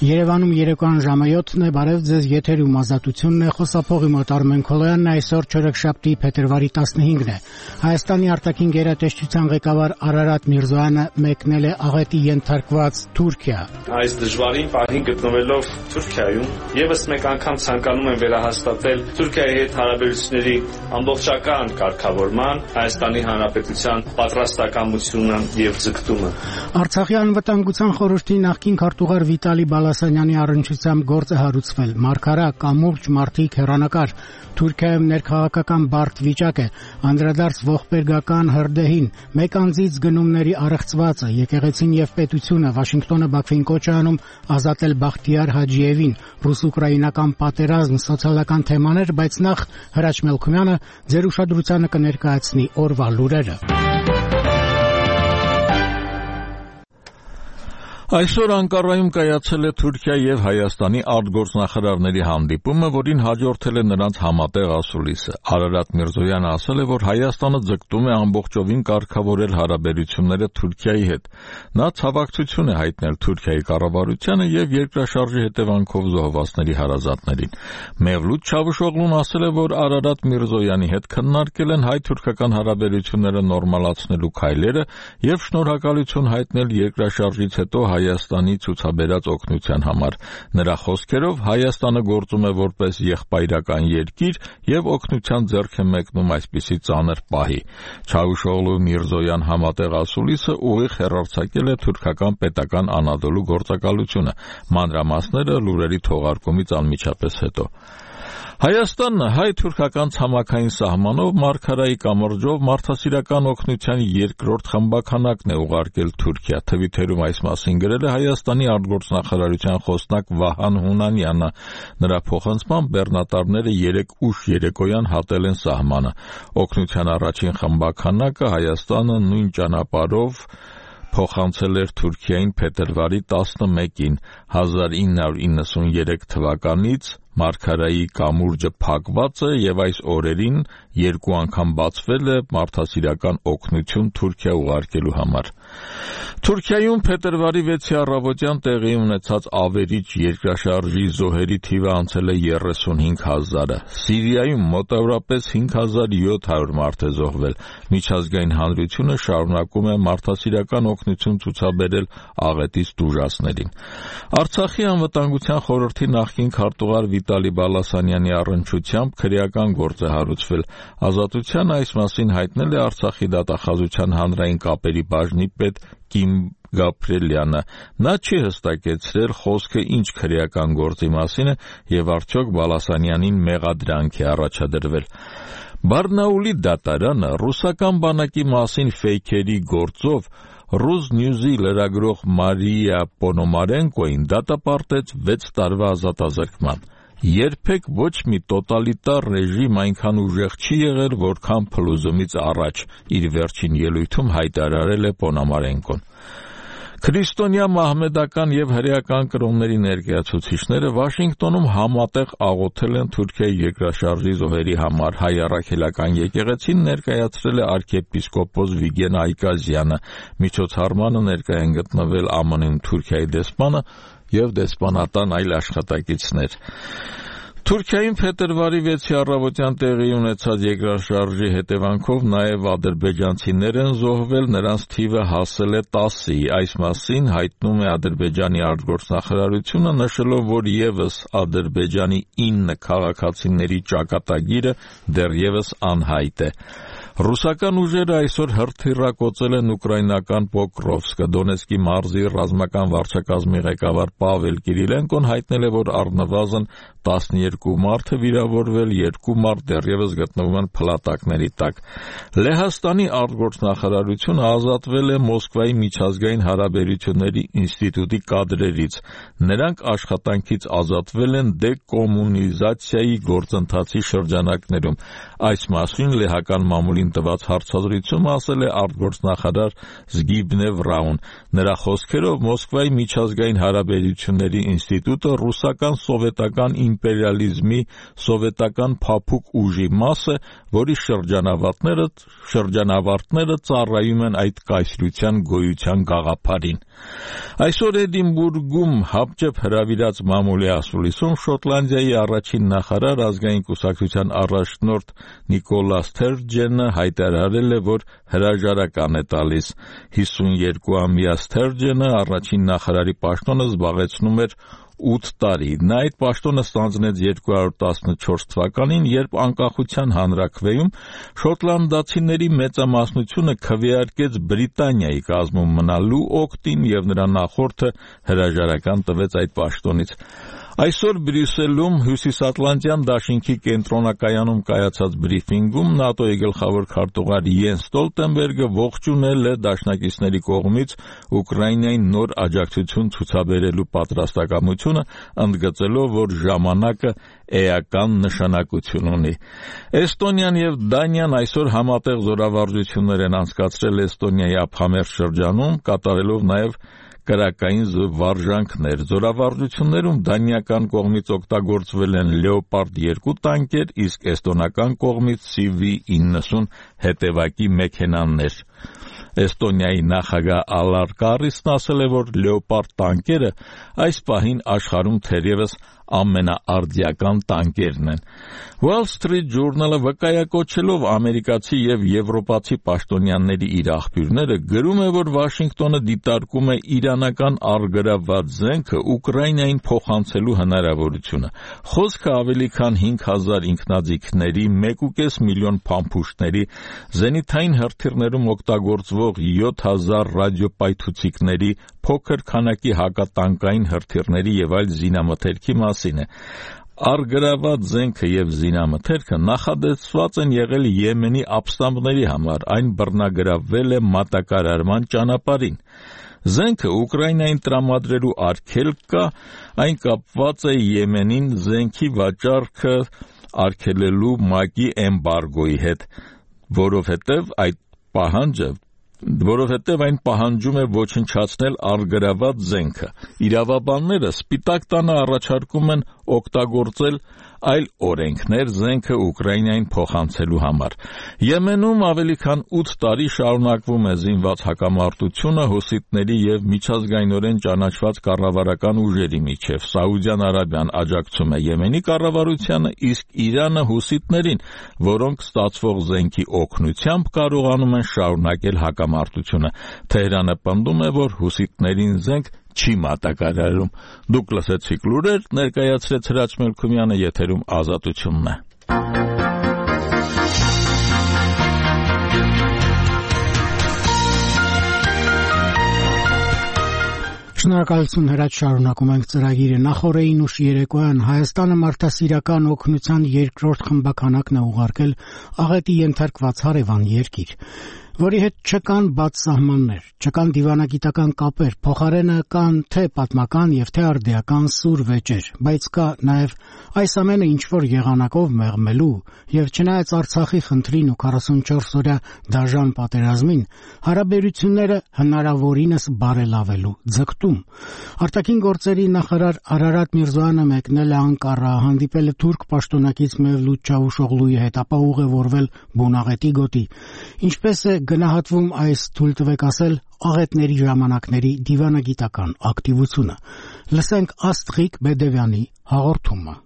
Երևանում երեկոյան ժամը 7-ն է, բարև ձեզ, եթերում ազատությունն է, խոսափողի մոտ Արմեն Քոլոյանն, այսօր չորեքշաբթի փետրվարի 15-ն է։ Հայաստանի արտաքին գերատեսչության ղեկավար Արարատ Միրզոյանը մեկնել է աղետի ենթարկված Թուրքիա։ Այս դժվարին պահին գտնվելով Թուրքիայում, եւս մեկ անգամ ցանկանում եմ վերահաստատել Թուրքիայի հետ հարաբերությունների ամբողջական կարգավորման, Հայաստանի Հանրապետության պատրաստակամությունը եւ ձգտումը։ Արցախի անվտանգության խորհրդի նախկին քարտուղար Վիտալի Բալասանյանի առնչությամբ գործ է հարուցվել։ Մարգարա կամուրջ մարդիկ հեռանկար Թուրքիայում ներքաղաքական բարդ վիճակ է, անդրադարձ ողբերգական հրդեհին, մեկ անձից գնումների առեղծվածը, եկեղեցին եւ պետությունը, Վաշինգտոնը Բաքվին կոչ է անում ազատել Բախտիար Հաջիևին, ռուս-ուկրաինական պատերազմ, սոցիալական թեմաներ, բայց նախ Հրաչ Մելքումյանը ձեր ուշադրությանը կներկայացնի օրվա լուրերը։ Այսօր Անկարայում կայացել է Թուրքիա եւ Հայաստանի արտգործնախարարների հանդիպումը, որին հաջորդել է նրանց համատեղ ասուլիսը։ Արարատ Միրզոյանը ասել է, որ Հայաստանը ձգտում է ամբողջովին կարգավորել հարաբերությունները Թուրքիայի հետ։ Նա ցավակցություն է հայտնել Թուրքիայի կառավարությանը եւ երկրաշարժի հետևանքով զոհվածների հարազատներին։ Մևլութ Չավուշօղլուն ասել է, որ Արարատ Միրզոյանի հետ քննարկել են հայ-թուրքական հարաբերությունները նորմալացնելու քայլերը եւ շնորհակալություն հայտնել երկրաշարժից հետո Հայաստանի ցուցաբերած օգնության համար։ Նրա խոսքերով Հայաստանը գործում է որպես եղբայրական երկիր եւ օգնության ձեռք է մեկնում այսպիսի ծանր պահի։ Չավուշօղլու Միրզոյան համատեղ ասուլիսը ուղիղ հեռարձակել է թուրքական պետական Անադոլու գործակալությունը։ Մանրամասները լուրերի թողարկումից անմիջապես հետո։ Հայաստանն հայ-թուրքական ցամաքային սահմանով Մարգարայի կամրջով մարդասիրական օգնության երկրորդ խմբաքանակն է ուղարկել Թուրքիա։ Թվիթերում այս մասին գրել է Հայաստանի արտգործնախարարության խոսնակ Վահան Հունանյանը։ Նրա փոխանցմամբ բեռնատարները 3 ուշ երեկոյան հատել են սահմանը։ Օգնության առաջին խմբաքանակը Հայաստանը նույն ճանապարհով փոխանցել էր Թուրքիային փետրվարի 11-ին 1993 թվականից Մարգարայի կամուրջը փակված է եւ այս օրերին 2 անգամ բացվել է մարդասիրական օգնություն Թուրքիա ուղարկելու համար։ Թուրքիայում փետրվարի 6-ի առավոտյան տեղի ունեցած ավերիչ երկրաշարժի զոհերի թիվը անցել է 35,000-ը։ Սիրիայում մոտավորապես 5,700 մարդ է զոհվել։ Միջազգային հանրությունը շարունակում է մարդասիրական օգնություն ցուցաբերել աղետից տուժածներին։ Արցախի անվտանգության խորհրդի նախկին քարտուղար Վիտալի Բալասանյանի առնչությամբ քրեական գործ է հարուցվել։ Ազատության այս մասին հայտնել է Արցախի դատախազության հանրային կապերի բաժնի պետ Կիմ Գաբրիելյանը։ Նա չի հստակեցրել խոսքը ինչ քրեական գործի մասին է եւ արդյոք Բալասանյանին մեղադրանք է առաջադրվել։ Բարնաուլի դատարանը ռուսական բանակի մասին ֆեյքերի գործով Rus News-ի լրագրող Մարիա Պոնոմարենկոին դատապարտեց 6 տարվա ազատազրկման։ Երբեք ոչ մի տոտալիտար ռեժիմ այնքան ուժեղ չի եղել, որքան փլուզումից առաջ, իր վերջին ելույթում հայտարարել է Պոնոմարենկոն։ Քրիստոնյա մահմեդական եւ հրեական կրոնների ներկայացուցիչները Վաշինգտոնում համատեղ աղոթել են Թուրքիայի երկրաշարժի զոհերի համար։ Հայ առաքելական եկեղեցին ներկայացրել է arczepiskopos Վիգեն Այկազյանը։ Միջոցառմանը ներկայ են գտնվել ԱՄՆ-ում Թուրքիայի դեսպանը եւ դեսպանատան այլ աշխատակիցներ։ Թուրքիայում փետրվարի 6-ի առավոտյան տեղի ունեցած երկրաշարժի հետևանքով նաև ադրբեջանցիներ են զոհվել, նրանց թիվը հասել է 10-ի։ Այս մասին հայտնում է Ադրբեջանի արտգործնախարարությունը, նշելով, որ եւս Ադրբեջանի 9 քաղաքացիների ճակատագիրը դեռևս անհայտ է։ Ռուսական ուժերը այսօր հրթիռակոծել են ուկրաինական Պոկրովսկը։ Դոնեցկի մարզի ռազմական վարչակազմի ղեկավար Պավել Կիրիլենկոն հայտնել է, որ առնվազն 12 մարդ է վիրավորվել, 2 մարդ դեռևս գտնվում են փլատակների տակ։ Լեհաստանի արտգործնախարարությունը ազատվել է Մոսկվայի միջազգային հարաբերությունների ինստիտուտի կադրերից։ Նրանք աշխատանքից ազատվել են դեկոմունիզացիայի գործընթացի շրջանակներում։ Այս մասին լեհական մամուլին տված հարցազրույցում ասել է արտգործնախարար Զգիբնե Վրաուն։ Նրա խոսքերով Մոսկվայի միջազգային հարաբերությունների ինստիտուտը ռուսական սովետական իմպերիալիզմի սովետական փափուկ ուժի մաս է, որի շրջանավարտները ծառայում են այդ կայսրության գոյության գաղափարին։ Այսօր Էդինբուրգում հապճեպ հրավիրած մամուլի ասուլիսում Շոտլանդիայի առաջին նախարար ազգային կուսակցության առաջնորդ Նիկոլա Սթերջենը հայտարարել է, որ հրաժարական է տալիս։ 52-ամյա Սթերջենը առաջին նախարարի պաշտոնը զբաղեցնում էր 8 տարի։ Նա այդ պաշտոնը ստանձնեց 214 թվականին, երբ անկախության հանրաքվեում շոտլանդացիների մեծամասնությունը քվեարկեց Բրիտանիայի կազմում մնալու օգտին եւ նրա նախորդը հրաժարական տվեց այդ պաշտոնից։ Այսօր Բրյուսելում Հյուսիսատլանտյան դաշինքի կենտրոնակայանում կայացած բրիֆինգում ՆԱՏՕ-ի գլխավոր քարտուղար Յենս Ստոլտենբերգը ողջունել է դաշնակիցների կողմից Ուկրաինային նոր աջակցություն ցուցաբերելու պատրաստակամությունը, ընդգծելով, որ ժամանակը էական նշանակություն ունի։ Էստոնիան եւ Դանիան այսօր համատեղ զորավարժություններ են անցկացրել Էստոնիայի ափամերձ շրջանում, կատարելով նաեւ կրակային վարժանքներ։ Զորավարժություններում դանիական կողմից օգտագործվել են Լեոպարդ 2 տանկեր, իսկ էստոնական կողմից CV-90 հետևակի մեքենաներ։ Էստոնիայի նախագահ Ալար Կարիսն ասել է, որ Լեոպարդ տանկերը այս պահին աշխարհում թերևս ամենաարդիական տանկերն են։ Wall Street Journal-ը վկայակոչելով ամերիկացի եւ եվրոպացի պաշտոնյաների իր աղբյուրները գրում է, որ Վաշինգտոնը դիտարկում է իրանական առգրավված զենքը Ուկրաինային փոխանցելու հնարավորությունը։ Խոսքը ավելի քան 5000 ինքնաձիգների, 1.5 միլիոն փամփուշտների, զենիթային հրթիռներում օգտագործվող 7000 ռադիոպայթուցիկների, փոքր քանակի հակատանկային հրթիռների եւ այլ զինամթերքի մասին է։ Առգրավված զենքը եւ զինամթերքը նախադեсված են եղել Եմենի ապստամբների համար, այն բռնագրավվել է մատակարարման ճանապարհին։ Զենքը Ուկրաինային տրամադրելու արգելք կա, այն կապված է Եմենին զենքի վաճառքը արգելելու ՄԱԿ-ի էմբարգոյի հետ, որովհետև այն պահանջում է ոչնչացնել առգրավված զենքը։ Իրավաբանները Սպիտակ տանը առաջարկում են օգտագործել այլ օրենքներ զենքը Ուկրաինային փոխանցելու համար։ Եմենում ավելի քան 8 տարի շարունակվում է զինված հակամարտությունը հուսիտների եւ միջազգայինորեն ճանաչված կառավարական ուժերի միջև։ Սաուդյան Արաբիան աջակցում է Եմենի կառավարությանը, իսկ Իրանը հուսիտներին, որոնք ստացվող զենքի օգնությամբ կարողանում են շարունակել հակամարտությունը։ Թեհրանը պնդում է, որ հուսիտներին զենք չի մատակարարում։ Դուք լսեցիք լուրեր, ներկայացրեց Հրաչ Մելքումյանը, եթերում Ազատությունն է։ Շնորհակալություն Հրաչ, շարունակում ենք ծրագիրը։ Նախորդին ուշ երեկոյան Հայաստանը մարդասիրական օգնության երկրորդ խմբականակն է ուղարկել աղետի ենթարկված հարևան երկիր, որի հետ չկան բաց սահմաններ, չկան դիվանագիտական կապեր, փոխարենը կան թե պատմական եւ թե արդիական սուր վեճեր, բայց կա նաեւ այս ամենը ինչ-որ եղանակով մեղմելու եւ չնայած Արցախի խնդրին ու 44 օրյա դաժան պատերազմին, հարաբերությունները հնարավորինս բարելավելու ձգտում։ Արտաքին գործերի նախարար Արարատ Միրզոյանը մեկնել է Անկարա, հանդիպել է թուրք պաշտոնակից Մևլութ Չավուշօղլուի հետ, ապա ուղևորվել Բունաղետի գոտի։ Ինչպես է գնահատվում այս, թույլ տվեք ասել, աղետների ժամանակների դիվանագիտական ակտիվությունը։ Լսենք Աստղիկ Բեդևյանի հաղորդումը։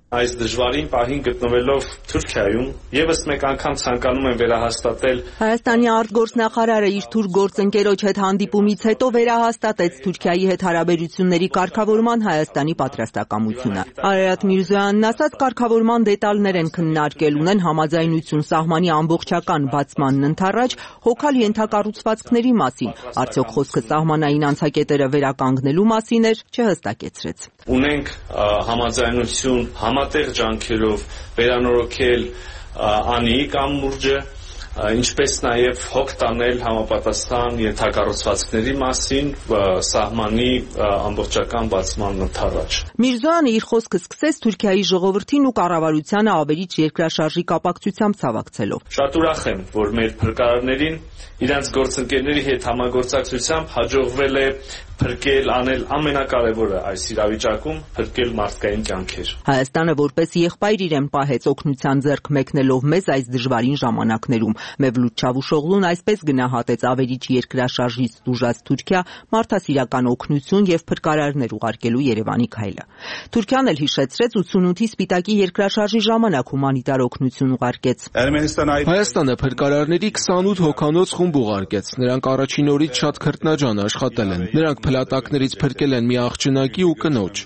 Այս դժվարին պահին գտնվելով Թուրքիայում եւս մեկ անգամ ցանկանում եմ վերահաստատել Հայաստանի արտգործնախարարը իր թուրք գործընկերոջ հետ հանդիպումից հետո վերահաստատեց Թուրքիայի հետ հարաբերությունների կարգավորման Հայաստանի պատրաստակամությունը։ Արարատ Միրզոյանն ասաց, կարգավորման դետալներ են քննարկել, ունեն համաձայնություն սահմանի ամբողջական բացմանն ընդառաջ, հոգալ ենթակառուցվածքների մասին, արդյոք խոսքը սահմանային անցակետերը վերականգնելու մասին էր, չհստակեցրեց։ Ունենք համաձայնություն համատեղ ջանքերով վերանորոգել Անի կամուրջը, ինչպես նաև հոգ տանել համապատասխան ենթակառուցվածքների մասին սահմանի ամբողջական բացման ընդառաջ։ Միրզոյանը իր խոսքը սկսեց Թուրքիայի ժողովրդին ու կառավարությանը ավերիչ երկրաշարժի կապակցությամբ ցավակցելով։ Շատ ուրախ եմ, որ մեր փրկարարներին իրենց գործընկերների հետ համագործակցությամբ հաջողվել է փրկել, անել ամենակարևորը այս իրավիճակում փրկել մարդկային կյանքեր։ Հայաստանը որպես եղբայր իրեն պահեց օգնության ձեռք մեկնելով մեզ այս դժվարին ժամանակներում։ Մևլութ Չավուշօղլուն այսպես գնահատեց ավերիչ երկրաշարժից տուժած Թուրքիա մարդասիրական օգնություն եւ փրկարարներ ուղարկելու Երևանի քայլը։ Թուրքիան էլ հիշեցրեց 88-ի Սպիտակի երկրաշարժի ժամանակ հումանիտար օգնություն ուղարկեց։ Հայաստանը փրկարարների 28 հոգանոց խումբ ուղարկեց։ Նրանք առաջին օրից շատ քրտնաջան աշխատել են։ Նրանք փլատակներից փրկել են մի աղջնակի ու կնոջ։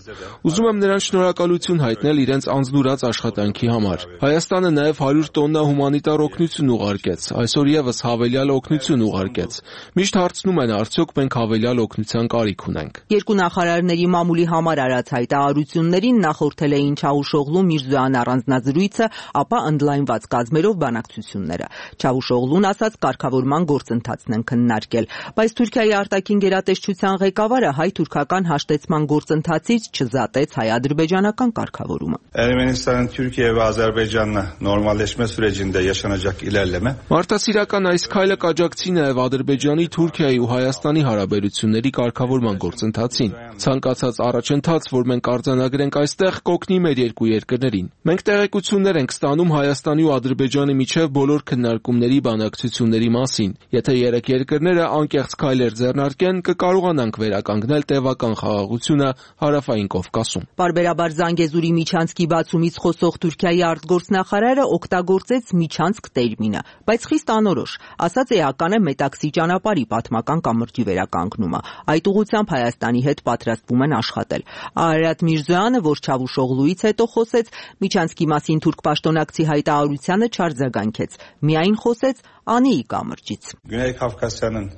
Ուզում եմ նրանց շնորհակալություն հայտնել իրենց անձնուրաց աշխատանքի համար։ Հայաստանը նաև 100 տոննա հումանիտար օգնություն ուղարկեց, այսօր եւս հավելյալ օգնություն ուղարկեց։ Միշտ հարցնում են, արդյոք մենք հավելյալ օգնության կարիք ունենք։ Երկու նախարարների մամուլի համար արած հայտարարություններին նախորդել էին Չավուշօղլու Միրզոյան առանձնազրույցը, ապա ընդլայնված կազմերով բանակցությունները։ Չավուշօղլուն ասաց, կարգավորման գործընթացն են քննարկել, բայց Թուրքիայի արտաքին գերատեսչության ղեկավարը հայ-թուրքական հաշտեցման գործընթացից չզատեց հայ-ադրբեջանական կարգավորումը։ Ermenistan'ın Türkiye ve Azerbaycan'la normalleşme sürecinde yaşanacak ilerleme. Մարդասիրական այս քայլը կաջակցի նաև Ադրբեջանի, Թուրքիայի ու Հայաստանի հարաբերությունների կարգավորման գործընթացին։ Ցանկացած առաջընթաց, որ մենք արձանագրենք այստեղ, կօգնի մեր երկու երկրներին։ Մենք տեղեկություններ ենք ստանում Հայաստանի ու Ադրբեջանի միջև բոլոր քննարկումների բանակցությունների մասին։ Եթե երեք երկրները անկեղծ քայլեր ձեռնարկեն, կկարողանանք վերականգնել տևական խաղաղությունը Հարավային Կովկասում։ Պարբերաբար Զանգեզուրի միջանցքի բացումից խոսող Թուրքիայի արտգործնախարարը օգտագործեց միջանցք տերմինը, բայց խիստ անորոշ, ասաց էական է Մետաքսի ճանապարհի պատմական կամրջի վերականգնումը։ Այդ ուղղությամբ Հայաստանի հետ պատրաստվում են աշխատել։ Արարատ Միրզոյանը, որ Չավուշօղլուից հետո խոսեց, միջանցքի մասին թուրք պաշտոնակցի հայտարարությանը չարձագանքեց, միայն խոսեց Անիի կամրջից։ Güney Kafkasya'nın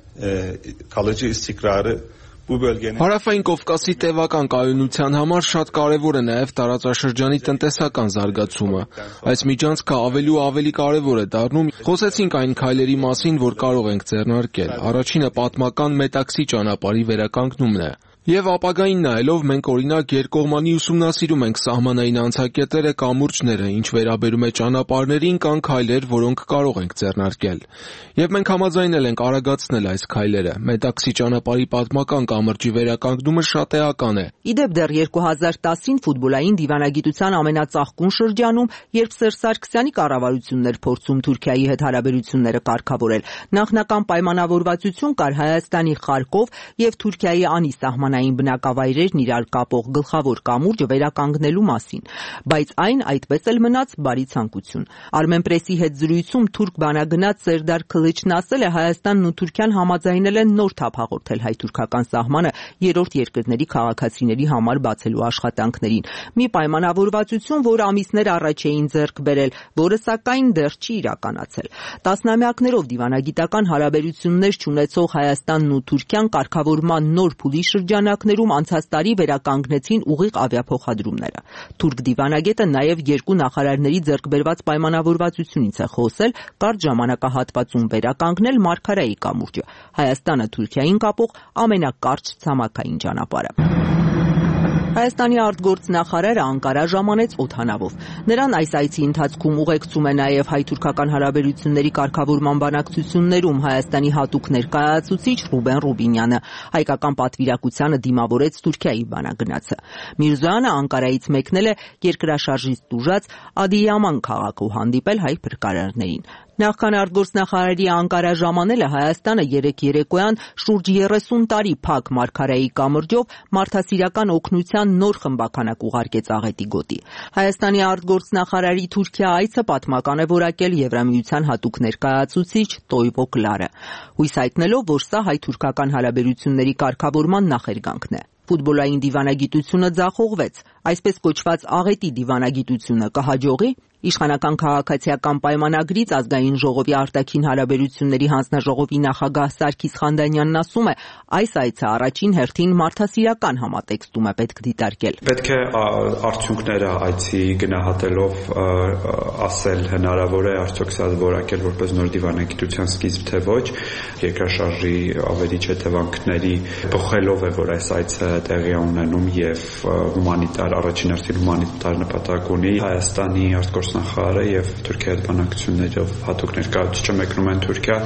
kalıcı istikrarı bu bölgenin Հարավային Կովկասի տևական կայունության համար շատ կարևոր է նաև տարածաշրջանի տնտեսական զարգացումը։ Այս միջանցքը ավելի ու ավելի կարևոր է դառնում։ Խոսեցինք այն քայլերի մասին, որ կարող ենք ձեռնարկել։ Առաջինը պատմական Մետաքսի ճանապարհի վերականգնումն է։ Եվ ապագային նայելով մենք օրինակ երկկողմանի ուսումնասիրում ենք սահմանային անցակետերը, կամուրջները, ինչ վերաբերում է ճանապարհներին, կան քայլեր, որոնք կարող ենք ձեռնարկել։ Եվ մենք համաձայնել ենք արագացնել այս քայլերը։ Մետաքսի ճանապարհի պատմական կամրջի վերականգնումը շատ էական է։ Իդեպ դեռ 2010-ին ֆուտբոլային դիվանագիտության ամենածաղկուն շրջանում, երբ Սերժ Սարգսյանի կառավարությունն էր փորձում Թուրքիայի հետ հարաբերությունները կարգավորել, նախնական պայմանավորվածություն կար Հայաստանի Խարկով եւ Թուրքիայի Անի սահմանային բնակավայրերն իրար կապող գլխավոր կամուրջը վերականգնելու մասին, բայց այն այդպես էլ մնաց բարի ցանկություն։ Armenpress-ի հետ զրույցում թուրք բանագնաց Սերդար Քլիչն ասել է, Հայաստանն ու Թուրքիան համաձայնել են նոր թափ հաղորդել հայ-թուրքական սահմանը երրորդ երկրների քաղաքացիների համար բացելու աշխատանքներին։ Մի պայմանավորվածություն, որ ամիսներ առաջ էին ձեռք բերել, որը սակայն դեռ չի իրականացել։ Տասնամյակներով դիվանագիտական հարաբերություններ չունեցող Հայաստանն ու Թուրքիան կարգավորման նոր փուլի շրջանակներում անցած տարի վերականգնեցին ուղիղ ավիափոխադրումները։ Թուրք դիվանագետը նաև երկու նախարարների ձեռք բերված պայմանավորվածությունից է խոսել կարճ ժամանակահատվածում վերականգնել Մարգարայի կամուրջը, Հայաստանը Թուրքիային կապող ամենակարճ ցամաքային ճանապարհը։ Հայաստանի արտգործնախարարը Անկարա ժամանեց օդանավով։ Նրան այս այցի ընթացքում ուղեկցում է նաև հայ-թուրքական հարաբերությունների կարգավորման բանակցություններում Հայաստանի հատուկ ներկայացուցիչ Ռուբեն Ռուբինյանը։ Հայկական պատվիրակությանը դիմավորեց Թուրքիայի բանագնացը։ Միրզոյանը Անկարայից մեկնել է երկրաշարժից տուժած Ադիյաման քաղաքում հանդիպել հայ փրկարարներին։ Նախքան արտգործնախարարի Անկարա ժամանելը Հայաստանը երեկ երեկոյան շուրջ 30 տարի փակ Մարգարայի կամրջով մարդասիրական օգնության նոր խմբականակ ուղարկեց աղետի գոտի։ Հայաստանի արտգործնախարարի Թուրքիա այցը պատմական է որակել Եվրամիության հատուկ ներկայացուցիչ Տոյվո Կլարը, հույս հայտնելով, որ սա հայ-թուրքական հարաբերությունների կարգավորման նախերգանքն է։ Ֆուտբոլային դիվանագիտությունը ձախողվեց, այսպես կոչված աղետի դիվանագիտությունը կհաջողի։ Իշխանական քաղաքացիական պայմանագրից ազգային ժողովի արտաքին հարաբերությունների հանձնաժողովի նախագահ Սարգիս Խանդանյանն ասում է, այս այցը առաջին հերթին մարդասիրական համատեքստում է պետք դիտարկել։ Պետք է արդյունքները այցի գնահատելով ասել հնարավոր է արդյոք սա որակել որպես նոր դիվանագիտության սկիզբ թե ոչ, երկրաշարժի ավերիչ հետևանքների բխելով է, որ այս այցը տեղի ունենում եւ հումանիտար առաջին հերթին հումանիտար նպատակ ունի Հայաստանի արտգործնախարարը եւ Թուրքիայի հետ բանակցություններով հատուկ ներկայացուցիչը մեկնում են Թուրքիա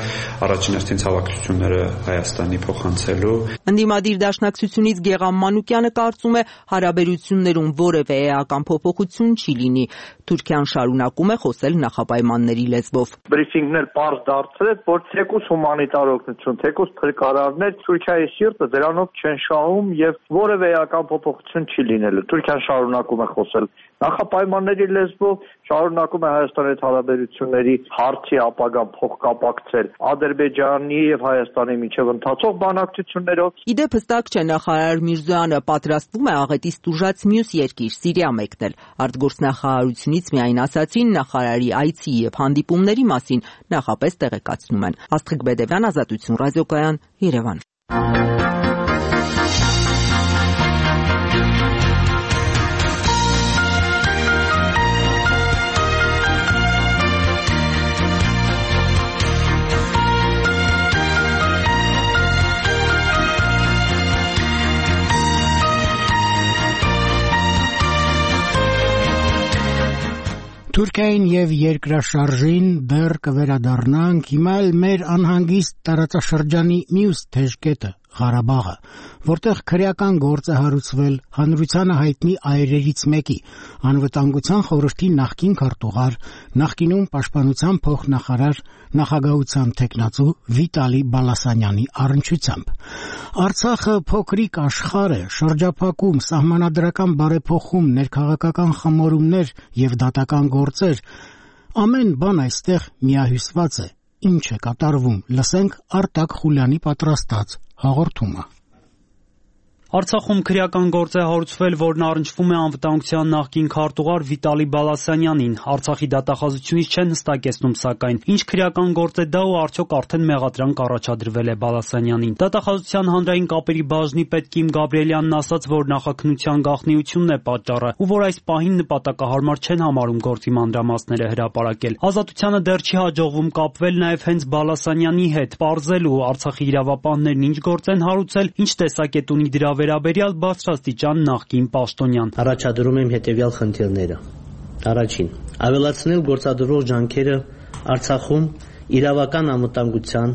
առաջին հերթին ցավակցությունները Հայաստանի փոխանցելու։ Ընդդիմադիր դաշնակցությունից Գեգամ Մանուկյանը կարծում է հարաբերություններում որևէ էական փոփոխություն չի լինի։ Թուրքիան շարունակում է խոսել նախապայմանների լեզվով։ Բրիֆինգներ պարզ դարձրեց, որ թեկուզ հումանիտար օգնություն, թեկուզ փրկարարներ Թուրքիայի սիրտը դրանով չեն շահում եւ որևէ էական փոփոխություն չի լինելու։ Թուրքիան շարունակում է խոսել նախապայմանների լեզվով, շարունակում է Հայաստանի հետ հարաբերությունների հարցի ապագան փոխկապակցել Ադրբեջանի եւ Հայաստանի միջև ընթացող բանակցություններով։ Իդեպ հստակ չէ նախարար Միրզոյանը պատրաստվում է աղետից տուժած մյուս երկիր Սիրիա մեկնել։ Արտգործնախարարությունից միայն ասացին նախարարի այցի եւ հանդիպումների մասին նախապես տեղեկացնում են։ Աստղիկ Բեդևյան, Ազատություն ռադիոկայան, Երևան։ Թուրքիային եւ երկրաշարժին դեռ կվերադառնանք, հիմա էլ մեր անհանգիստ տարածաշրջանի մյուս թեժ կետը Ղարաբաղը, որտեղ քրեական գործ է հարուցվել հանրությանը հայտնի այրերից մեկի, անվտանգության խորհրդի նախկին քարտուղար, նախկինում պաշտպանության փոխնախարար, նախագահության տեխնացու Վիտալի Բալասանյանի առնչությամբ։ Արցախը փոքրիկ աշխարհ է, շրջափակում, սահմանադրական բարեփոխում, ներքաղաքական խմորումներ եւ դատական գործեր, ամեն բան այստեղ միահյուսված է։ Ինչ է կատարվում, լսենք Արտակ Խուլյանի պատրաստած հաղորդումը։ Արցախում քրեական գործ է հարուցվել, որն առնչվում է անվտանգության նախկին քարտուղար Վիտալի Բալասանյանին։ Արցախի դատախազությունից չեն հստակեցնում, սակայն ինչ քրեական գործ է դա ու արդյոք արդեն մեղադրանք առաջադրվել է Բալասանյանին։ Դատախազության հանրային կապերի բաժնի պետ Կիմ Գաբրիելյանն ասաց, որ նախաքննության գաղտնիությունն է պատճառը ու որ այս պահին նպատակահարմար չեն համարում գործի մանրամասները հրապարակել։ Ազատությանը դեռ չի հաջողվում կապվել նաև հենց Բալասանյանի հետ, պարզելու Արցախի իրավապահներն ինչ գործ են հարուցել, ինչ տեսակետ ունի դրա վերաբերյալ բարձրաստիճան նախկին պաշտոնյան։ Առաջադրում եմ հետևյալ խնդիրները։ Առաջին, ավելացնել գործադրող ջանքերը Արցախում իրավական անվտանգության,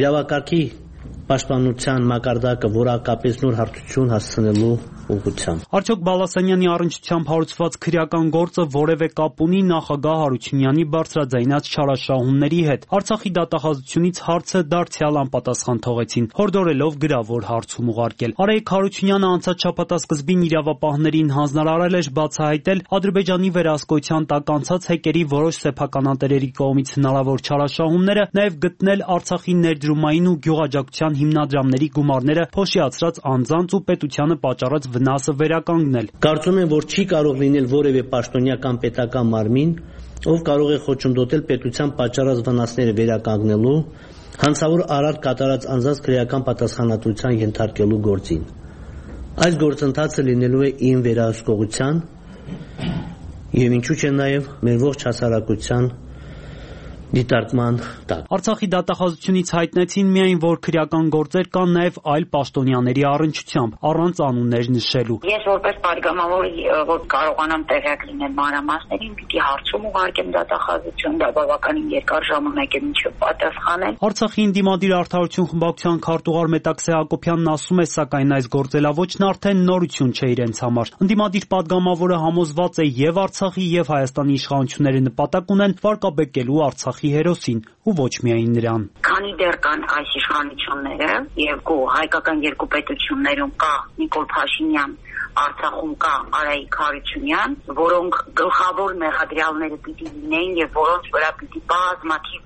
իրավակարգի պաշտպանության մակարդակը որակապես նոր հարթություն հասցնելու ուղղությամբ։ Արդյոք Բալասանյանի առնչությամբ հարուցված քրեական գործը որևէ կապ ունի նախագահ Հարությունյանի բարձրաձայնած չարաշահումների հետ։ Արցախի դատախազությունից հարցը դարձյալ անպատասխան թողեցին, հորդորելով գրավոր հարցում ուղարկել։ Արայիկ Հարությունյանը անցած շաբաթասկզբին իրավապահներին հանձնարարել էր բացահայտել Ադրբեջանի վերահսկողության տակ անցած հեկերի որոշ սեփականատերերի կողմից հնարավոր չարաշահումները, նաև գտնել Արցախի ներդրումային ու գյուղաճակության հիմնադրամների գումարները փոշիացրած անձանց ու պետությանը պատճառած վնասը վերականգնել։ Կարծում եմ, որ չի կարող լինել որևէ պաշտոնյական պետական մարմին, ով կարող է խոչընդոտել պետության պատճառած վնասները վերականգնելու, հանցավոր արարք կատարած անձանց քրեական պատասխանատվության ենթարկելու գործին։ Այս գործընթացը լինելու է իմ վերահսկողության եւ ինչու՞ չէ նաեւ մեր ողջ հասարակության դիտարկման տակ։ Արցախի դատախազությունից հայտնեցին միայն, որ քրեական գործեր կան նաև այլ պաշտոնյաների առնչությամբ, առանց անուններ նշելու։ Ես որպես падգամավոր, որ կարողանամ տեղյակ լինել մանրամասներին, պիտի հարցում ուղարկեմ դատախազություն, դա բավականին երկար ժամանակ է մինչև պատասխանել։ Արցախի Ինդիմադիր Արդարություն խմբակցության քարտուղար Մետաքսե Հակոբյանն ասում է, սակայն այս գործելավոճն արդեն նորություն չէ իրենց համար։ Ընդդիմադիր падգամավորը համոզված է եւ Արցախի եւ Հայաստանի իշխանությունները նպատակ ունեն վարկաբեկելու Արցախի հերոսին ու ոչ միայն նրան։ Քանի դեռ կան այս իշխանությունները եւ հայկական երկու պետություններում կա Նիկոլ Փաշինյան, Արցախում կա Արայիկ Հարությունյան, որոնք գլխավոր մեղադրյալները պիտի լինեին եւ որոնց վրա պիտի բազմաթիվ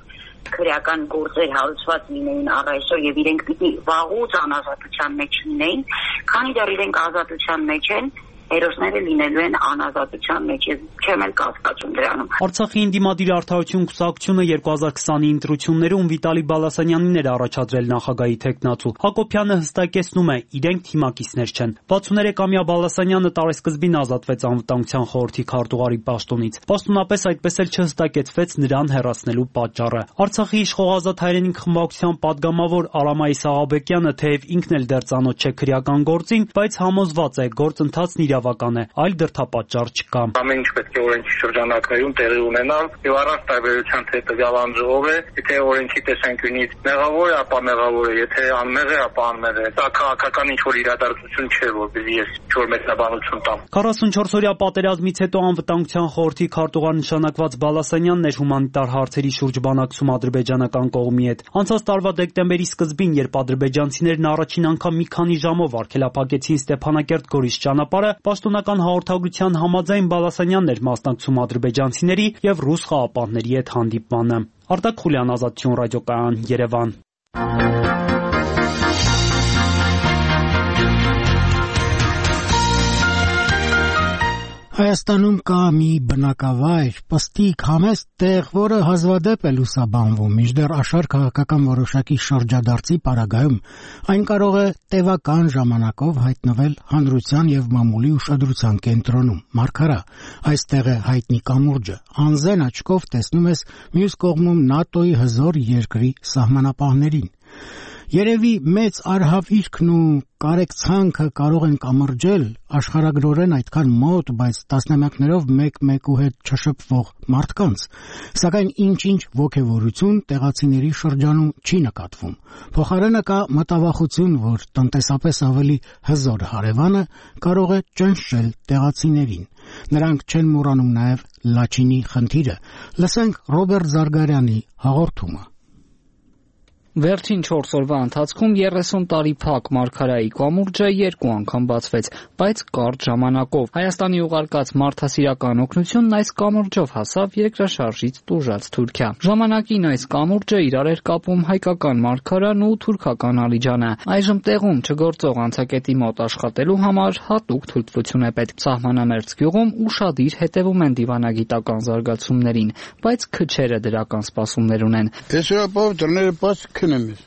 քրեական գործեր հարուցված լինեին առայսօր եւ իրենք պիտի վաղուց անազատության մեջ լինեին, քանի դեռ իրենք ազատության մեջ են, հերոսները լինելու են անազատության մեջ, ես չեմ էլ կասկածում դրանում։ Արցախի Ինդիմադիր արդարություն կուսակցությունը 2020-ի ընտրություններում Վիտալի Բալասանյանին էր առաջադրել նախագահի թեկնածու։ Հակոբյանը հստակեցնում է, իրենք թիմակիցներ չեն։ 63-ամյա Բալասանյանը տարեսկզբին ազատվեց անվտանգության խորհրդի քարտուղարի պաշտոնից։ Պաշտոնապես այդպես էլ չհստակեցվեց նրան հեռացնելու պատճառը։ Արցախի իշխողազատ հայրենիք խմբակցության падգամավոր Արամայի Սաղաբեկյանը թեև ինքն էլ դեռ ծանոթ չէ քրեական գործին, բայց համոզված է, գործընթացն իրավական է, այլ դրդապատճառ չկա։ Ամեն ինչ պետք է օրենքի շրջանակներում տեղի ունենալ եւ առանց տարբերության թե տվյալ անձով է, եթե օրենքի տեսանկյունից մեղավոր է, ապա մեղավոր է, եթե անմեղ է, ապա անմեղ է։ Դա քաղաքական ինչ-որ իրադարձություն չէ, որպեսզի ես ինչ-որ մեկնաբանություն տամ։ 44-օրյա պատերազմից հետո անվտանգության խորհրդի քարտուղար նշանակված Բալասանյանն էր հումանիտար հարցերի շուրջ բանակցում ադրբեջանական կողմի հետ։ Անցած տարվա դեկտեմբերի սկզբին, երբ ադրբեջանցիներն առաջին անգամ մի քանի ժամով արգելափակեցին Ստեփանակերտ-Գորիս ճանապարհը, պաշտոնական հաղորդագրության համաձայն Բալասանյանն էր մասնակցում ադրբեջանցիների եւ ռուս խաղապահների հետ հանդիպմանը։ Արտակ Խուլյան, Ազատություն ռադիոկայան, Երևան։ Հայաստանում կա մի բնակավայր, պստիկ, համեստ տեղ, որը հազվադեպ է լուսաբանվում, մինչդեռ աշխարհ քաղաքական որոշակի շրջադարձի պարագայում այն կարող է տևական ժամանակով հայտնվել հանրության եւ մամուլի ուշադրության կենտրոնում։ Մարգարա, այստեղ է հայտնի կամուրջը, անզեն աչքով տեսնում ես մյուս կողմում ՆԱՏՕ-ի հզոր երկրի սահմանապահներին։ Երևի մեծ արհավիրքն ու կարեկցանքը կարող են կամրջել աշխարհագրորեն այդքան մոտ, բայց տասնամյակներով մեկ-մեկու հետ չշփվող մարդկանց, սակայն ինչ-ինչ ոգևորություն տեղացիների շրջանում չի նկատվում։ Փոխարենը կա մտավախություն, որ տնտեսապես ավելի հզոր հարևանը կարող է ճնշել տեղացիներին։ Նրանք չեն մոռանում նաև Լաչինի խնդիրը։ Լսենք Ռոբերտ Զարգարյանի հաղորդումը։ Վերջին 4 օրվա ընթացքում 30 տարի փակ Մարգարայի կամուրջը 2 անգամ բացվեց, բայց կարճ ժամանակով։ Հայաստանի ուղարկած մարդասիրական օգնությունն այս կամուրջով հասավ երկրաշարժից տուժած Թուրքիա։ Ժամանակին այս կամուրջը իրար էր կապում հայկական Մարգարան ու թուրքական Ալիջանը։ Այժմ տեղում չգործող անցակետի մոտ աշխատելու համար հատուկ թույլտվություն է պետք։ Սահմանամերձ գյուղում ուշադիր հետևում են դիվանագիտական զարգացումներին, բայց քչերը դրական սպասումներ ունեն։ Քնեմես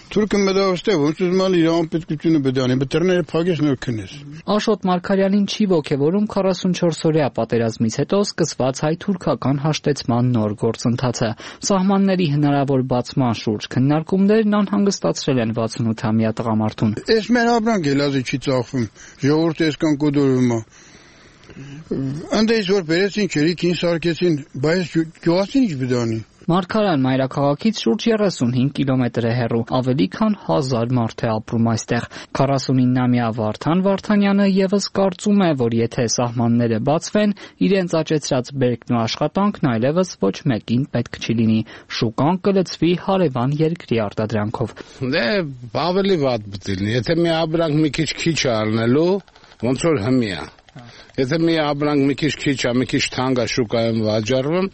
Թուրքը մտածել ոնց ուզում է իր անպետքությունը բդանի, բտրները փակես նոր քնես։ Աշոտ Մարգարյանին չի ոգևորում 44-օրյա պատերազմից հետո սկսված հայ-թուրքական հաշտեցման նոր գործընթացը։ Սահմանների հնարավոր բացման շուրջ քննարկումներն անհանգստացրել են 68-ամյա տղամարդուն։ Էս մեր ապրանք էլազի չի ծախվում, ժողովուրդը էսքան կոդորում է։ Անդեից որ բերեցին չերիքին սարքեցին, բայց գյուղացին ինչ բդանի։ Մարգարան մայրաքաղաքից շուրջ 35 կիլոմետր է հեռու, ավելի քան 1000 մարդ է ապրում այստեղ։ 49-ամյա Վարդան Վարդանյանը եւս կարծում է, որ եթե սահմանները բացվեն, իրենց աճեցրած բերքն ու աշխատանքն այլևս ոչ մեկին պետք չի լինի։ Շուկան կլցվի հարևան երկրի արտադրանքով։ Դե ավելի վատ բտիլնի, եթե մի ապրանք մի քիչ առնելու, ոնց որ հմի է։ Եթե մի ապրանք մի քիչ է, մի քիչ թանկ է շուկայում վաճառվում,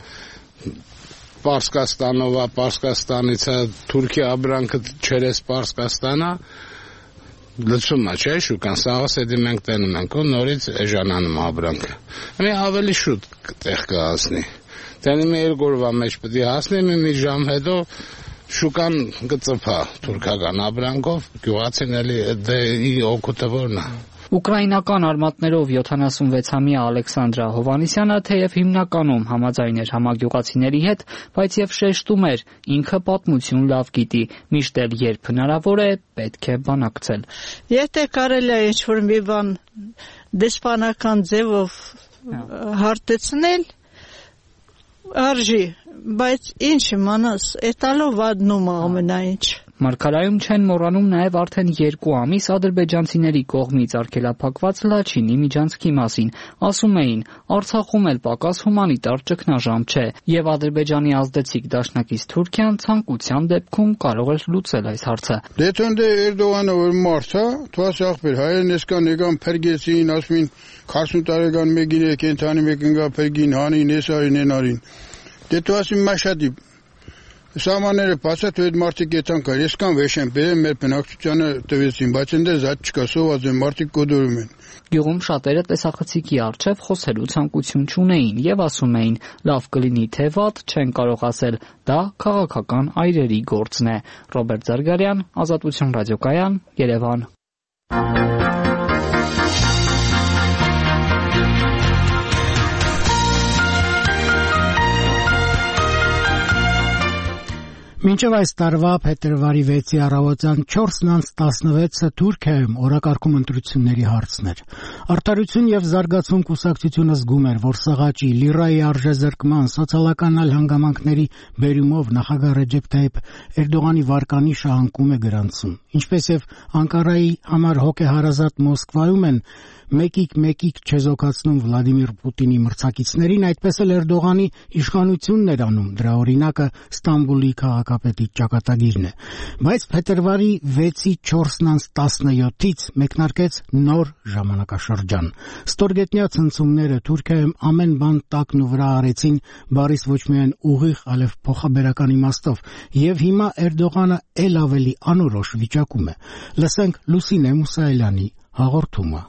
Պարսկաստանով, Պարսկաստանից է Թուրքիա ապրանքը չերես Պարսկաստանա լցում է, չէ՞ շուկան, սաղս էդի մենք տենում ենք, ու նորից էժանանում ապրանքը։ Մի ավելի շուտ տեղ կհասնի։ Տենի 2 օրվա մեջ պետք է հասնի, մի ժամ հետո շուկան կծփա թուրքական ապրանքով, գյուղացին էլի դե օգուտը որն է։ Ուկրաինական արմատներով 76-ամյա Ալեքսանդրա Հովանիսյանը թեև հիմնականում համաձայն էր համագյուղացիների հետ, բայց եւ շեշտում էր, ինքը պատմություն լավ գիտի, միշտ էլ երբ հնարավոր է, պետք է բանակցել։ Եթե կարելի է ինչ-որ մի բան դեսպանական ձևով հարթեցնել, արժի, բայց ինչ իմանաս, էտալով վադնում է ամենաինչ։ Մարգարայում չեն մոռանում նաև արդեն 2 ամիս ադրբեջանցիների կողմից արգելափակված Լաչինի միջանցքի մասին։ Ասում էին, Արցախում էլ պակաս հումանիտար ճգնաժամ չէ, եւ Ադրբեջանի ազդեցիկ դաշնակից Թուրքիան ցանկության դեպքում կարող էր լուծել այս հարցը։ Դե թնդե Էրդողանը որ մարդ է, թվաս ախպեր, հայերն էսքան եկան փրկեցին, ասում են 40 տարեկան մեկին է կենթանի մեկին գա փրկին, հանին, էսարին, ենարին։ Դե թվասին մաշատի Սահմանները բացատ այդ մարդիկ եթան կար, ես կան վեշեն բերեմ մեր բնակչությանը տվեցին, բայց ընդեր զատ չկա, սոված են, մարդիկ կոդորում են։ Գյուղում շատերը տեսախցիկի առջև խոսելու ցանկություն չունեին եւ ասում էին՝ լավ կլինի թե վատ, չեն կարող ասել, դա քաղաքական այրերի գործն է։ Ռոբերտ Զարգարյան, Ազատություն ռադիոկայան, Երևան։ Մինչև այս տարվա փետրվարի 6-ի առավոտյան 4:16-ը Թուրքիայում օրակարգում ընտրությունների հարցն էր։ Արդարություն եւ զարգացում կուսակցությունը զգում էր, որ սղաճի, լիրայի արժեզրկման, սոցիալական այլ հանգամանքների բերումով նախագահ Ռեջեփ Թայիփ Էրդողանի վարկանիշը անկում է գրանցում։ Ինչպես եւ Անկարայի համար հոգեհարազատ Մոսկվայում են մեկիկ չեզոքացնում Վլադիմիր Պուտինի մրցակիցներին, այդպես էլ Էրդողանի իշխանությունն էր անում, դրա օրինակը Ստամբուլի քաղաքապետի ճակատագիրն է։ Բայց փետրվարի 6-ի 4:17-ից մեկնարկեց նոր ժամանակաշրջան։ Ստորգետնյա ցնցումները Թուրքիայում ամեն բան տակն ու վրա արեցին, բառից ոչ միայն ուղիղ, այլև փոխաբերական իմաստով, եւ հիմա Էրդողանը ել ավելի անորոշ վիճակում է։ Լսենք Լուսինե Մուսայելյանի հաղորդումը։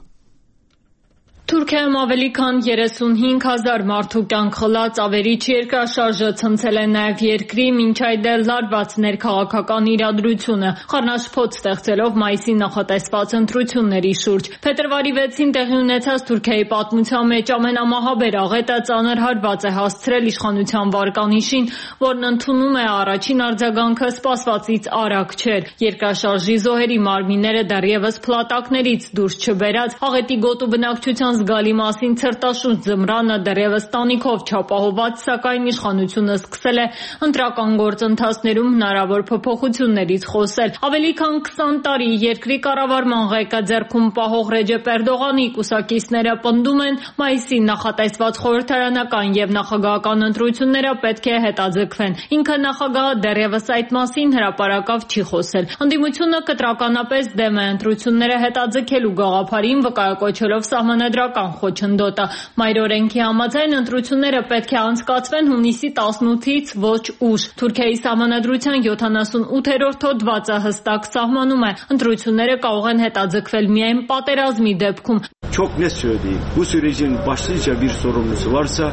Թուրքիայում ավելի քան 35,000 մարդու կյանք խլած ավերիչ երկրաշարժը ցնցել է նաև երկրի մինչ այդ էլ լարված ներքաղաքական իրադրությունը, խառնաշփոթ ստեղծելով մայիսի նախատեսված ընտրությունների շուրջ։ Փետրվարի 6-ին տեղի ունեցած Թուրքիայի պատմության մեջ ամենամահաբեր աղետը ծանր հարված է հասցրել իշխանության վարկանիշին, որն ընդունում է առաջին արձագանքը սպասվածից արագ չէր։ Երկրաշարժի զոհերի մարմինները դեռևս փլատակներից դուրս չբերած, աղետի գոտու բնակչության զգալի մասին ցրտաշունչ ձմռանը դեռևս տանիքով չապահոված, սակայն իշխանությունը սկսել է ընտրական գործընթացներում հնարավոր փոփոխություններից խոսել։ Ավելի քան 20 տարի երկրի կառավարման ղեկը ձեռքում պահող Ռեջեփ Էրդողանի կուսակիցները պնդում են, մայիսի նախատեսված խորհրդարանական եւ նախագահական ընտրությունները պետք է հետաձգվեն։ Ինքը նախագահը դեռևս այդ մասին հրապարակավ չի խոսել։ Ընդդիմությունը կտրականապես դեմ է ընտրությունները հետաձգելու գաղափարին, վկայակոչելով սահմանադրական խոչընդոտը։ Մայրօրենքի համաձայն ընտրությունները պետք է անցկացվեն հունիսի 18-ից ոչ ուշ։ Թուրքիայի սահմանադրության 78-րդ հոդվածը հստակ սահմանում է, ընտրությունները կարող են հետաձգվել միայն պատերազմի դեպքում։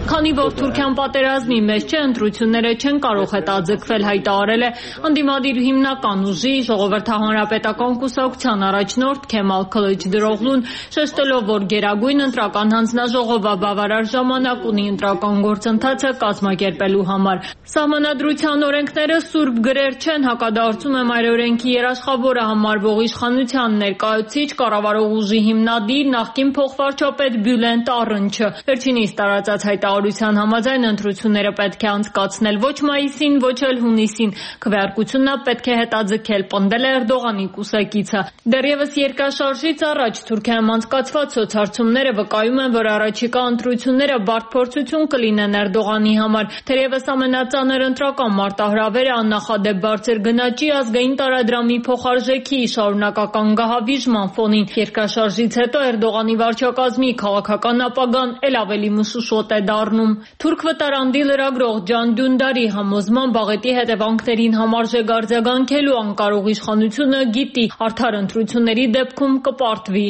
Քանի որ Թուրքիան պատերազմի մեջ չէ, ընտրությունները չեն կարող հետաձգվել, հայտարարել է ընդդիմադիր հիմնական ուժի ժողովրդահանրապետական կուսակցության առաջնորդ Քեմալ Քլիչդարօղլուն, շեշտելով, որ գերագույն ընտրական հանձնաժողովը բավարար ժամանակ ունի ընտրական գործընթացը կազմակերպելու համար։ Սահմանադրության օրենքները սուրբ գրեր չեն, հակադարձում է մայրօրենքի երաշխավորը համարվող իշխանության ներկայացուցիչ, կառավարող ուժի հիմնադիր, նախկին փոխվարչապետ Բյուլենտ Առնչը։ Վերջինիս տարածած հայտարարության համաձայն ընտրությունները պետք է անցկացնել ոչ մայիսին, ոչ էլ հունիսին։ Քվեարկությունը պետք է հետաձգել, պնդել է Էրդողանի կուսակիցը։ Դեռևս երկրաշարժից առաջ Թուրքիայում անցկացված սոցհարցումները վկայում են, որ առաջիկա ընտրությունները բարդ փորձություն կլինեն Էրդողանի համար։ Թերևս ամենածանր ընտրական մարտահրավերը աննախադեպ բարձր գնաճի, ազգային տարադրամի փոխարժեքի շարունակական գահավիժման ֆոնին։ Երկրաշարժից հետո Էրդողանի վարչակազմի քաղաքական ապագան ել ավելի մշուշոտ է դառնում։ Թուրք վտարանդի լրագրող Ջան Դյունդարի համոզմամբ աղետի հետևանքներին համարժեք արձագանքելու անկարող իշխանությունը գիտի, արդար ընտրությունների դեպքում կպարտվի։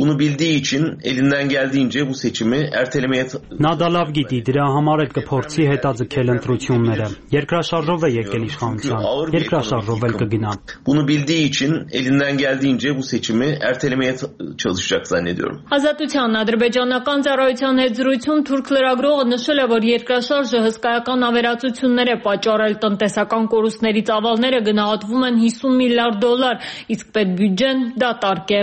Նա դա լավ գիտի, դրա համար էլ կփորձի հետաձգել ընտրությունները։ Երկրաշարժով է եկել իշխանության, երկրաշարժով էլ կգնա։ Ազատության ադրբեջանական ծառայության հետ զրույցում թուրք լրագրողը նշել է, որ երկրաշարժը հսկայական ավերածություններ է պատճառել, տնտեսական կորուստների ծավալները գնահատվում են $50 միլիարդ, իսկ պետբյուջեն դատարկ է։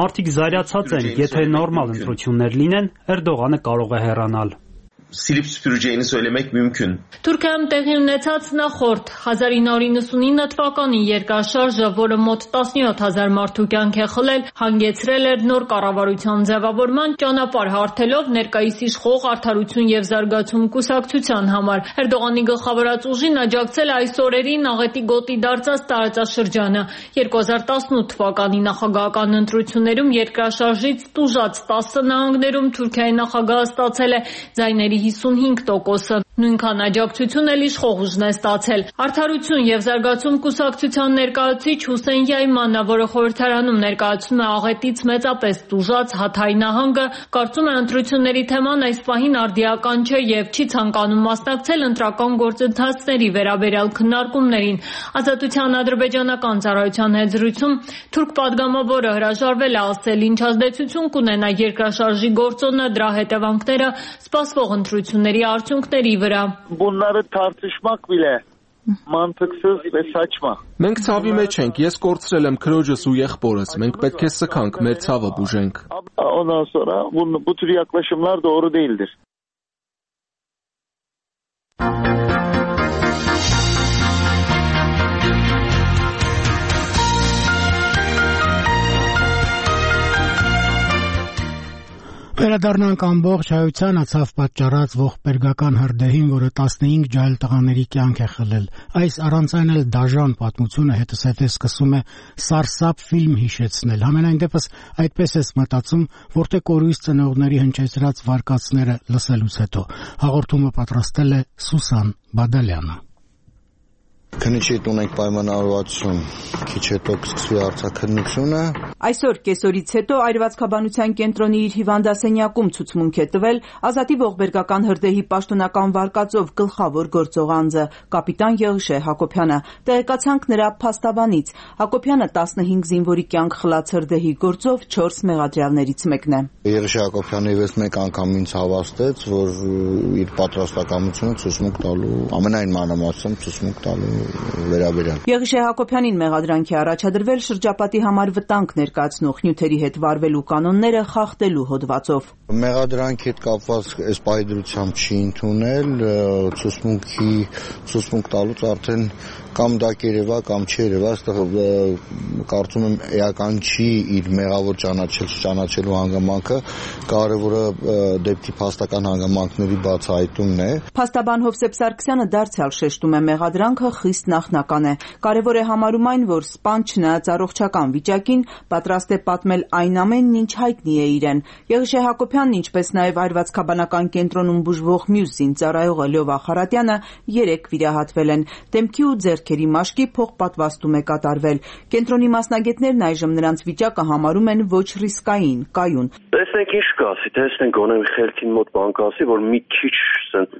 Մարդիկ զայրացած են, եթե նորմալ ընտրություններ լինեն, Էրդողանը կարող է հեռանալ։ Թուրքիայում տեղի ունեցած նախորդ 1999 թվականի երկրաշարժը, որը մոտ 17,000 մարդու կյանք է խլել, հանգեցրել էր նոր կառավարության ձևավորման, ճանապարհ հարթելով ներկայիս իշխող Արդարություն եւ զարգացում կուսակցության համար։ Էրդողանի գլխավորած ուժին աջակցել է այս օրերին աղետի գոտի դարձած տարածաշրջանը։ 2018 թվականի նախագահական ընտրություններում երկրաշարժից տուժած 10 նահանգներում Թուրքիայի նախագահը ստացել է ձայների ծնողների 55%-ը։ Նույնքան աջակցություն էլ իշխող ուժն է ստացել։ Արդարություն եւ զարգացում կուսակցության ներկայացուցիչ Հուսեյն Յայմանը, որը խորհրդարանում ներկայացնում է աղետից մեծապես տուժած Հաթայի նահանգը, կարծում է ընտրությունների թեման այս պահին արդիական չէ եւ չի ցանկանում մասնակցել ընտրական գործընթացների վերաբերյալ քննարկումներին։ Ազատության ադրբեջանական ծառայության հետ զրույցում թուրք պատգամավորը հրաժարվել է ասել ինչ ազդեցություն կունենա երկրաշարժի գործոնը, դրա հետևանքները սպասվող ընտրությունների արդյունքների վրա։ Bunları tartışmak bile mantıksız ve saçma. Մենք ցավի մեջ ենք, ես կորցրել եմ քրոջս ու եղբորս, մենք պետք է սքանք, մեր ցավը բուժենք։ Ondan sonra bu tür yaklaşımlar doğru değildir. Վերադառնանք ամբողջ հայությանը ցավ պատճառած ողբերգական հրդեհին, որը 15 ջահել տղաների կյանք է խլել։ Այս առանց այն էլ դաժան պատմությունը հետզհետե սկսում է սարսափ ֆիլմ հիշեցնել։ Համենայն դեպս այդպես ես մտածում, որտեղ կորույս ծնողների հնչեցրած վարկածները լսելուց հետո։ Հաղորդումը պատրաստել է Սուսան Բադալյանը։ Քննիչի տուն ենք պայմանավորվածություն, քիչ հետո կսկսվի արձակնությունը։ Այսօր կեսօրից հետո այրվածքաբանության կենտրոնի իր հիվանդասենյակում ցուցմունք է տվել Ազատի ողբերգական հրդեհի պաշտոնական վարկածով գլխավոր գործող անձը կապիտան Եղիշե Հակոբյանը։ Տեղեկացանք նրա փաստաբանից։ Հակոբյանը 15 զինվորի կյանք խլած հրդեհի գործով 4 մեղադրյալներից մեկն է։ Եղիշե Հակոբյանը եւս մեկ անգամ ինձ հավաստեց, որ իր պատրաստակամությունը ցուցմունք տալու, ամենայն մանրամասն ցուցմունք տալու վերաբերյալ։ Եղիշե Հակոբյանին մեղադրանքի առաջադրվել շրջապատի համար վտանգ ներկայացնող նյութերի հետ վարվելու կանոնները խախտելու հոդվածով։ Մեղադրանքի հետ կապված այս պայդրությամբ չի ընդունել, ցուցմունք տալուց արդեն կամ դա կերևա կամ չերևա, այստեղ կարծում եմ էական չի իր մեղավոր ճանաչելու հանգամանքը, կարևորը դեպքի փաստական հանգամանքների բացահայտումն է։ Փաստաբան Հովսեփ Սարգսյանը դարձյալ շեշտում է մեղադրանքը խիստ նախնական է։ Կարևոր է համարում այն, որ սպան չնայած առողջական վիճակին պատրաստ է պատմել այն ամենն, ինչ հայտնի է իրեն։ Եղիշե Հակոբյանն, ինչպես նաև այրվածքաբանական կենտրոնում բուժվող մյուս զինծառայողը Լյովա Խարատյանը 3 վիրահատվել են։ Դեմքի ու ձեռքերի մաշկի փոխպատվաստում է կատարվել։ Կենտրոնի մասնագետներն այժմ նրանց վիճակը համարում են ոչ ռիսկային, կայուն։ Տեսնենք ինչ կասի, տեսնենք գոնե մի խելքին մոտ բան կասի, որ մի քիչ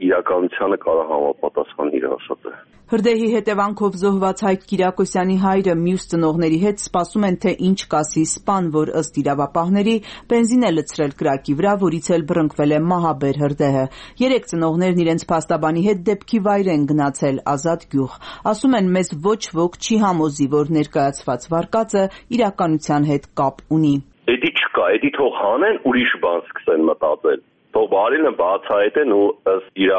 իրականությանը կարող համապատասխան իր ասածը։ Հրդեհի հետևանքով զոհված Հայկ Կիրակոսյանի հայրը մյուս ծնողների հետ սպասում են, թե ինչ կասի սպան, որ ըստ իրավապահների բենզին է լցրել կրակի վրա, որից էլ բռնկվել է մահաբեր հրդեհը։ 3 ծնողներն իրենց փաստաբանի հետ դեպքի վայր են գնացել Ազատ գյուղ։ Ասում են, մեզ ոչ ոք չի համոզի, որ ներկայացված վարկածը իրականության հետ կապ ունի։ Էդի չկա, էդի թող հանեն, ուրիշ բան սկսեն մտածել։ Թող բարինը բացահայտեն ու ըստ իր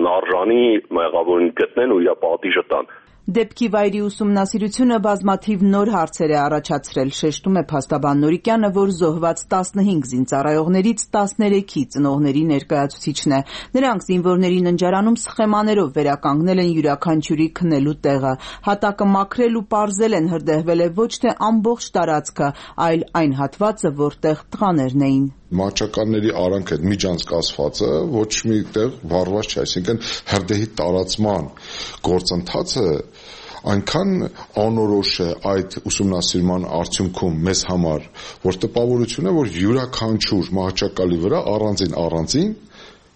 նարժանի մեղավորին գտնեն ու իր պատիժը տան։ Դեպքի վայրի ուսումնասիրությունը բազմաթիվ նոր հարցեր է առաջացրել, շեշտում է փաստաբան Նորիկյանը, որ զոհված 15 զինծառայողներից 13-ի ծնողների ներկայացուցիչն է։ Նրանք զինվորների ննջարանում սխեմաներով վերականգնել են յուրաքանչյուրի քնելու տեղը։ Հատակը մաքրել ու պարզել են, հրդեհվել է ոչ թե ամբողջ տարածքը, այլ այն հատվածը, որտեղ տղաներն էին։ Մահճականների արանքը միջանցկացվածը ոչ մի տեղ վարված չէ, այսինքն հրդեհի տարածման գործընթացը այնքան անորոշ է այդ ուսումնասիրման արդյունքում մեզ համար, որ տպավորություն է, որ յուրաքանչյուր մահճակալի վրա առանձին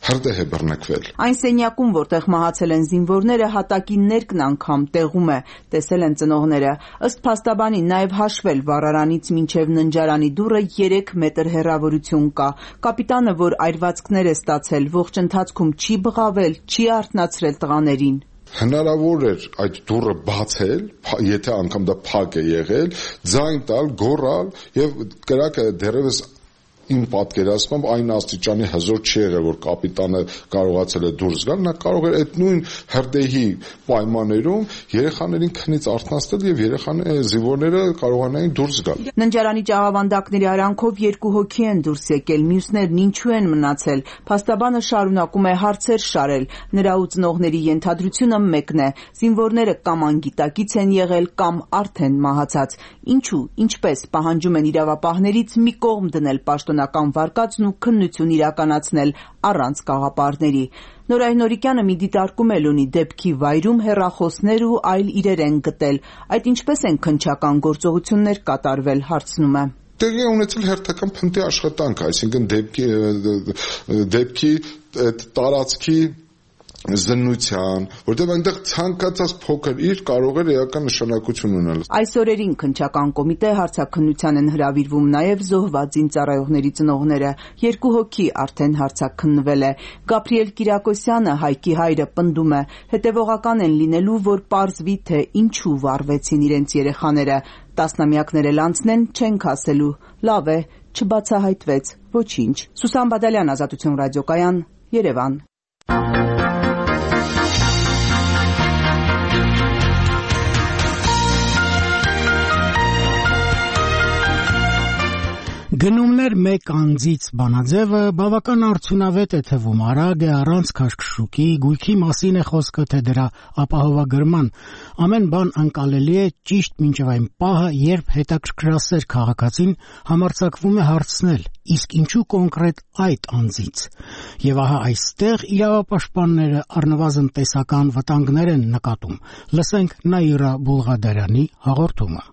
հրդեհ է բռնկվել։ Այն սենյակում, որտեղ մահացել են զինվորները, հատակի ներքն անգամ տեղում է, տեսել են ծնողները։ Ըստ փաստաբանի նաև հաշվել վառարանից մինչև ննջարանի դուռը 3 մետր հեռավորություն կա։ Կապիտանը, որ այրվածքներ է ստացել, ողջ ընթացքում չի բղավել, չի արթնացրել տղաներին։ Հնարավոր էր այդ դուռը բացել, եթե անգամ դա փակ է եղել, ձայն տալ, գոռալ եւ կրակը դեռևս իմ պատկերացմամբ այն աստիճանի հզոր չի եղել, որ կապիտանը կարողացել է դուրս գալ, նա կարող էր այդ նույն հրդեհի պայմաններում երեխաներին քնից արթնացնել եւ զինվորները կարողանային դուրս գալ։ Ննջարանի ճաղավանդակների արանքով 2 հոգի են դուրս եկել, մյուսներն ինչու են մնացել։ Փաստաբանը շարունակում է հարցեր շարել։ Նրա ու ծնողների ենթադրությունը մեկն է. զինվորները կամ անգիտակից են եղել, կամ արդեն մահացած։ Ինչու, ինչպես պահանջում են իրավապահներից մի կողմ դնել պաշտոնական կենտրոնական վարկածն ու քննություն իրականացնել առանց գաղափարների։ Նորայնորիկյանը մի դիտարկում էլ ունի դեպքի վայրում հեռախոսներ ու այլ իրեր են գտել։ Այդ ինչպես են քննչական գործողություններ կատարվել, հարցնում է։ Տեղի ունեցել հերթական փնտի աշխատանք, այսինքն դեպքի տարածքի զննության, որտեղ այնտեղ ցանկացած փոքր իր կարող էր էական նշանակություն ունենալ։ Այս օրերին քննչական կոմիտե հարցաքննության են հրավիրվում նաև զոհված զինծառայողների ծնողները։ 2 հոգի արդեն հարցաքննվել է։ Գաբրիել Կիրակոսյանը, Հայկի հայրը, պնդում է, հետևողական են լինելու, որ պարզվի, թե ինչու վառվեցին իրենց երեխաները։ Տասնամյակներ էլ անցնեն, չենք ասելու։ Լավ է, չբացահայտվեց ոչինչ։ Սուսան Բադալյան, Ազատություն ռադիոկայան, Երևան։ Գնումներ մեկ անձից բանաձևը բավական արդյունավետ է թվում, արագ է, առանց քաշքշուկի, գույքի մասին է խոսքը, թե դրա ապահովագրման։ Ամեն բան անկալելի է ճիշտ մինչև այն պահը, երբ հետաքրքրասեր քաղաքացին համարձակվում է հարցնել, իսկ ինչու կոնկրետ այդ անձից։ Եվ ահա այստեղ իրավապաշտպանները առնվազն տեսական վտանգներ են նկատում։ Լսենք Նաիրա Բուլղադարյանի հաղորդումը։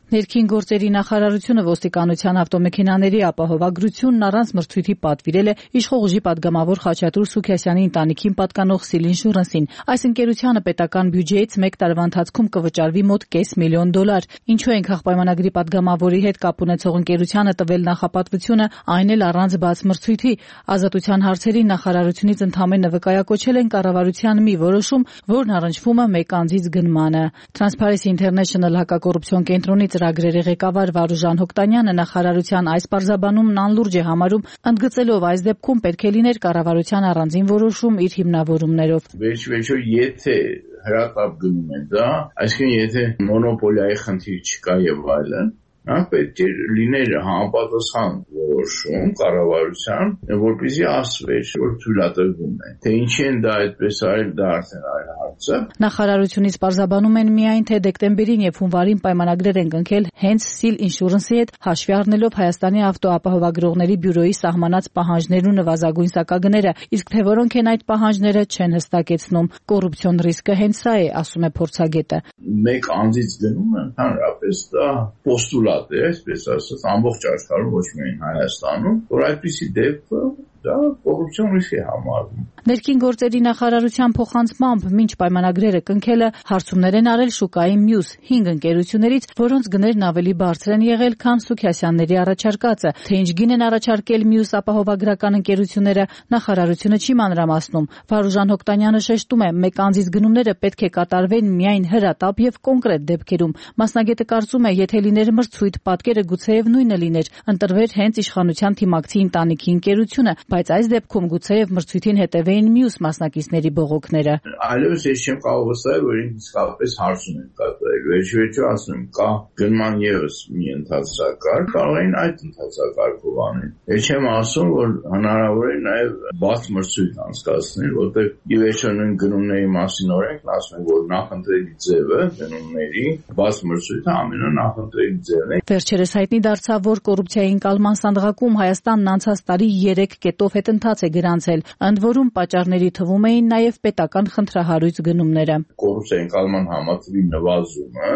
Ներքին գործերի նախարարությունը ոստիկանության ավտոմեքենաների ապահովագրությունն առանց մրցույթի պատվիրել է իշխող ուժի падգամավոր Խաչատուր Սուքիասյանի ընտանիքին պատկանող Seal Insurance-ին։ Այս ընկերությանը պետական բյուջեից 1 տարվա ընթացքում կվճարվի մոտ $500,000։ Ինչու են քաղաքապայմանագրի падգամավորի հետ կապ ունեցող ընկերությանը տվել նախապատվությունը, այն էլ առանց բաց մրցույթի։ Ազատության հարցերի նախարարությունից ընդամենը վկայակոչել են կառավարության մի որոշում, որն առնչվում է մեկ անձից գնմանը։ Transparency International հակակոռուպցիոն կենտրոնի ծրագրերի ղեկավար Վարուժան Հոկտանյանը նախարարության այս պարզաբանումն անլուրջ է համարում, ընդգծելով այս դեպքում պետք է լիներ կառավարության առանձին որոշում իր հիմնավորումներով։ Վերջիվերջո եթե հրատապ գնում է դա, այսինքն եթե մոնոպոլիայի խնդիր չկա եւ այլն, պետք է լիներ համապատասխան որոշում կառավարության, որպեսզի ասվեր, որ թույլատրվում է։ Թե ինչի են դա այդպես արել, դա արդեն այլ հարց է։ Նախարարությունից պարզաբանում են միայն, թե դեկտեմբերին եւ հունվարին պայմանագրեր են կնքել հենց Seal Insurance-ի հետ, հաշվի առնելով Հայաստանի ավտոապահովագրողների բյուրոյի սահմանած պահանջներն ու նվազագույն սակագները, իսկ թե որոնք են այդ պահանջները, չեն հստակեցնում։ Կոռուպցիոն ռիսկը հենց սա է, ասում է փորձագետը։ Մեկ անձից գնում են, հանրապես դա պոստուլատ է, այսպես ասած, ամբողջ աշխարհում, ոչ միայն Հայաստանում, որ այդպիսի դեպքը դա կոռուպցիոն ռիսկ է համարվում։ Ներքին գործերի նախարարության փոխանցմամբ մինչ պայմանագրերը կնքելը հարցումներ են արել շուկայի մյուս 5 ընկերություններից, որոնց գներն ավելի բարձր են եղել, քան Սուքիասյանների առաջարկածը։ Թե ինչ գին են առաջարկել մյուս ապահովագրական ընկերությունները, նախարարությունը չի մանրամասնում։ Վարուժան Հոկտանյանը շեշտում է, մեկ անձից գնումները պետք է կատարվեն միայն հրատապ եւ կոնկրետ դեպքերում։ Մասնագետը կարծում է, եթե լիներ մրցույթ, պատկերը գուցեև նույնը լիներ, ընտրվեր հենց իշխանության թիմակցի ընտանիքի ընկերությունը, բայց այս դեպքում գուցեև մրցույթին հետևեին մյուս մասնակիցների բողոքները։ Այլևս ես չեմ կարող վստահել, որ իսկապես հարցում են կատարել։ Վերջիվերջո ասում եմ, կա գնման եւս մի ընթացակարգ, կարող են այդ ընթացակարգով անել։ Ես չեմ ասում, որ հնարավոր է նաեւ բաց մրցույթ անցկացնել, որտեղ ի վերջո նույն գնումների մասին օրենքն ասում է, որ նախընտրելի ձևը գնումների բաց մրցույթը ամենանախընտրելի ձևն է։ Վերջերս հայտնի դարձավ, որ կոռուպցիայի ընկալման սանդղակում Հայաստանն անցած տարի 3 կետով հետընթաց է գրանցել, ընդ որում պատճառների թվում էին նաև պետական խնդրահարույց գնումները։ Կոռուպցիայի ընկալման համակարգի նվազումը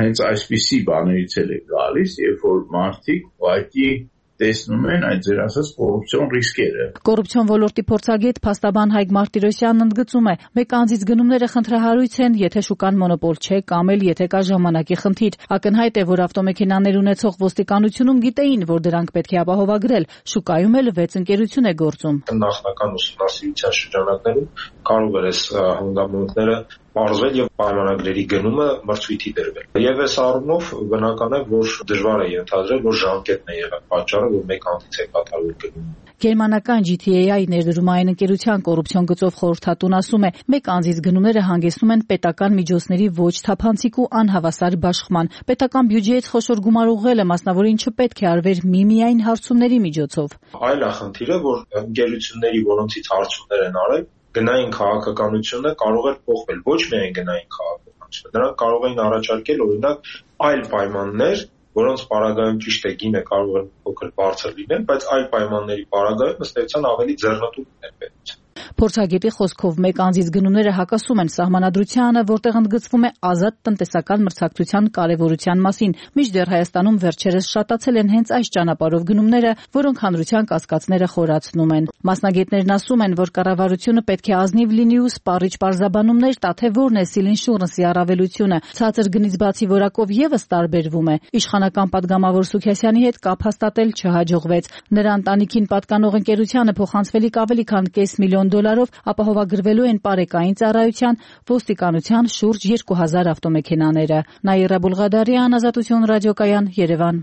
հենց այսպիսի բաներից էլ է գալիս, երբ որ մարդիկ ուղղակի տեսնում են այդ ձեր ասած կոռուպցիոն ռիսկերը։ Կոռուպցիոն ոլորտի փորձագետ փաստաբան Հայկ Մարտիրոսյանն ընդգծում է, մեկ անձից գնումները խնդրահարույց են, եթե շուկան մոնոպոլ չէ կամ էլ եթե կա ժամանակի խնդիր։ Ակնհայտ է, որ ավտոմեքենաներ ունեցող ոստիկանությունում գիտեին, որ դրանք պետք է ապահովագրել, շուկայում էլ 6 ընկերություն է գործում։ Նախնական ուսումնասիրության շրջանակներում կարող էր այս հանգամանքները պարզվել եւ պայմանագրերի գնումը մրցույթի դրվել։ Եվ այս առումով բնական է, որ դժվար է ենթադրել, որ ժամկետն է եղել պատճառը, որ մեկ անձից է կատարվել գնումը։ Գերմանական GTA-ի ներդրումային ընկերության կոռուպցիոն գծով խորհրդատուն ասում է, մեկ անձից գնումները հանգեցնում են պետական միջոցների ոչ թափանցիկ ու անհավասար բաշխման։ Պետական բյուջեից խոշոր գումար ուղղելը մասնավորին չպետք է արվեր միմիայն հարցումների միջոցով։ Այլախնդիրը, որ ընկերությունների, որոնցից հարցումներ են արել, գնային քաղաքականությունը կարող է փոխվել, ոչ միայն գնային քաղաքականությունը։ Նրանք կարող էին առաջարկել օրինակ այլ պայմաններ, որոնց պարագայում ճիշտ է գինը կարող է փոքր բարձր լինել, բայց այլ պայմանների պարագայում ըստ էության ավելի ձեռնտու լինել պետության։ Փորձագետի խոսքով մեկ անձից գնումները հակասում են սահմանադրությանը, որտեղ ընդգծվում է ազատ տնտեսական մրցակցության կարևորության մասին, մինչդեռ Հայաստանում վերջերս շատացել են հենց այս ճանապարհով գնումները, որոնք հանրության կասկածները խորացնում են։ Մասնագետներն ասում են, որ կառավարությունը պետք է ազնիվ լինի ու սպառիչ պարզաբանումներ տա, թե որն է Սիլինշուրենսի առավելությունը։ Ցածր գնից բացի որակով եւս տարբերվում է։ Իշխանական պատգամավոր Սուքիասյանի հետ կապ հաստատել չհաջողվեց։ Նրա ընտանիքին պատկանող ընկերությանը փոխանցվելիք ավելի քան $500 միլիոն ապահովագրվելու են պարեկային ծառայության, ոստիկանության շուրջ 2000 ավտոմեքենաները։ Նաիրա Բուլղադարյան, Ազատություն ռադիոկայան, Երևան։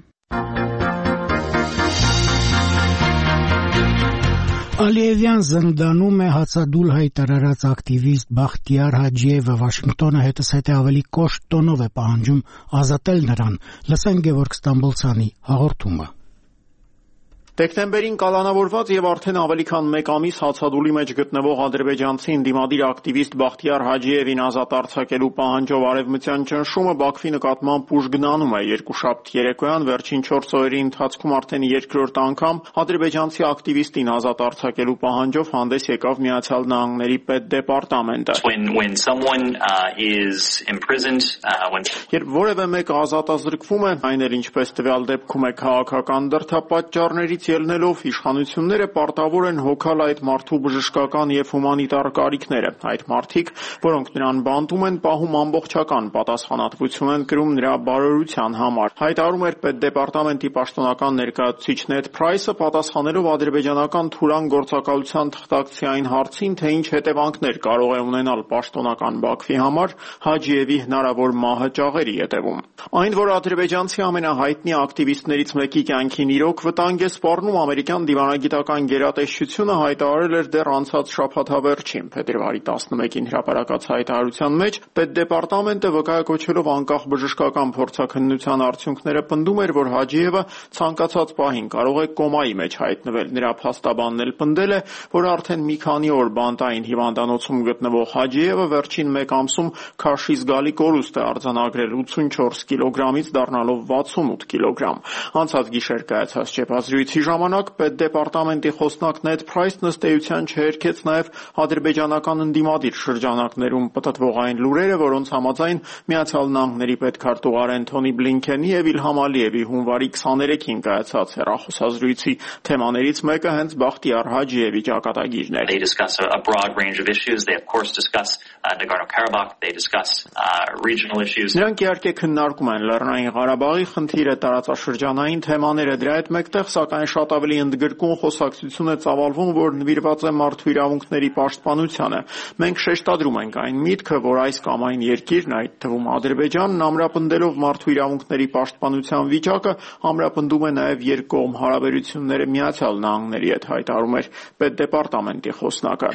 Ալիևյան զնդանում է հացադուլ հայտարարած ակտիվիստ Բախտիար Հաջիևը։ Վաշինգտոնը հետզհետե ավելի կոշտ տոնով է պահանջում ազատել նրան։ Լսենք Գևորգ Ստամբոլցյանի հաղորդումը։ Դեկտեմբերին կալանավորված եւ արդեն ավելի քան 1 ամիս հացադուլի մեջ գտնվող ադրբեջանցի ընդդիմադիր ակտիվիստ Բախտիար Հաջիևին ազատ արձակելու պահանջով արևմտյան ճնշումը Բաքվի նկատմամբ ուժգնանում է։ Երկուշաբթ երեկոյան վերջին 4 օրերի ընթացքում արդեն երկրորդ անգամ ադրբեջանցի ակտիվիստին ազատ արձակելու պահանջով հանդես եկավ Միացյալ Նահանգների պետդեպարտամենտը։ Երբ որևէ մեկը ազատազրկվում է, այն էլ ինչպես տվյալ դեպքում է քաղաքական դրդապատճառներից ելնելով, իշխանությունները պարտավոր են հոգալ այդ մարդու բժշկական եւ հումանիտար կարիքները։ Այդ մարդիկ, որոնք նրան բանտում են, պահում ամբողջական պատասխանատվություն են կրում նրա բարօրության համար։ Հայտարարում էր պետդեպարտամենտի պաշտոնական ներկայացուցիչ Նեդ Փրայսը, պատասխանելով ադրբեջանական թուրան գործակալության թղթակցի այն հարցին, թե ինչ հետևանքներ կարող է ունենալ պաշտոնական Բաքվի համար Հաջիևի հնարավոր մահը ճաղերի հետևում։ Այն, որ ադրբեջանցի ամենահայտնի ակտիվիստներից մեկի կյանքին իրոք վտանգ է սպառնում, ամերիկյան դիվանագիտական գերատեսչությունը հայտարարել էր դեռ անցած շաբաթավերջին։ Փետրվարի 11-ին հրապարակած հայտարարության մեջ պետդեպարտամենտը վկայակոչելով անկախ բժշկական փորձաքննության արդյունքները պնդում էր, որ Հաջիևը ցանկացած պահին կարող է կոմայի մեջ հայտնվել։ Նրա փաստաբանն էլ պնդել է, որ արդեն մի քանի օր բանտային հիվանդանոցում գտնվող Հաջիևը վերջին 1 ամսում քաշի զգալի կորուստ է արձանագրել 84 կիլոգրամից դառնալով 68 կիլոգրամ։ Անցած գիշեր կայացած ճեպազրույցի ժամանակ պետդեպարտամենտի խոսնակ Նեդ Փրայսն ըստ էության չհերքեց նաև ադրբեջանական ընդդիմադիր շրջանակներում պտտվող այն լուրերը, որոնց համաձայն Միացյալ Նահանգների պետքարտուղար Էնթոնի Բլինքենի եւ Իլհամ Ալիևի հունվարի 23-ին կայացած հեռախոսազրույցի թեմաներից մեկը հենց Բախտիար Հաջիևի ճակատագիրն էր։ Նրանք իհարկե քննարկում են Լեռնային Ղարաբաղի խնդիրը, տարածաշրջանային թեմաները, դրա հետ մեկտեղ սակայն շատ ավելի ընդգրկուն խոսակցություն է ծավալվում, որ նվիրված է մարդու իրավունքների պաշտպանությանը։ Մենք շեշտադրում ենք այն միտքը, որ այս կամ այն երկիրն, այդ թվում Ադրբեջանն, ամրապնդելով մարդու իրավունքների պաշտպանության վիճակը, ամրապնդում է նաև երկկողմ հարաբերությունները Միացյալ Նահանգների հետ, հայտարարում էր պետդեպարտամենտի խոսնակը։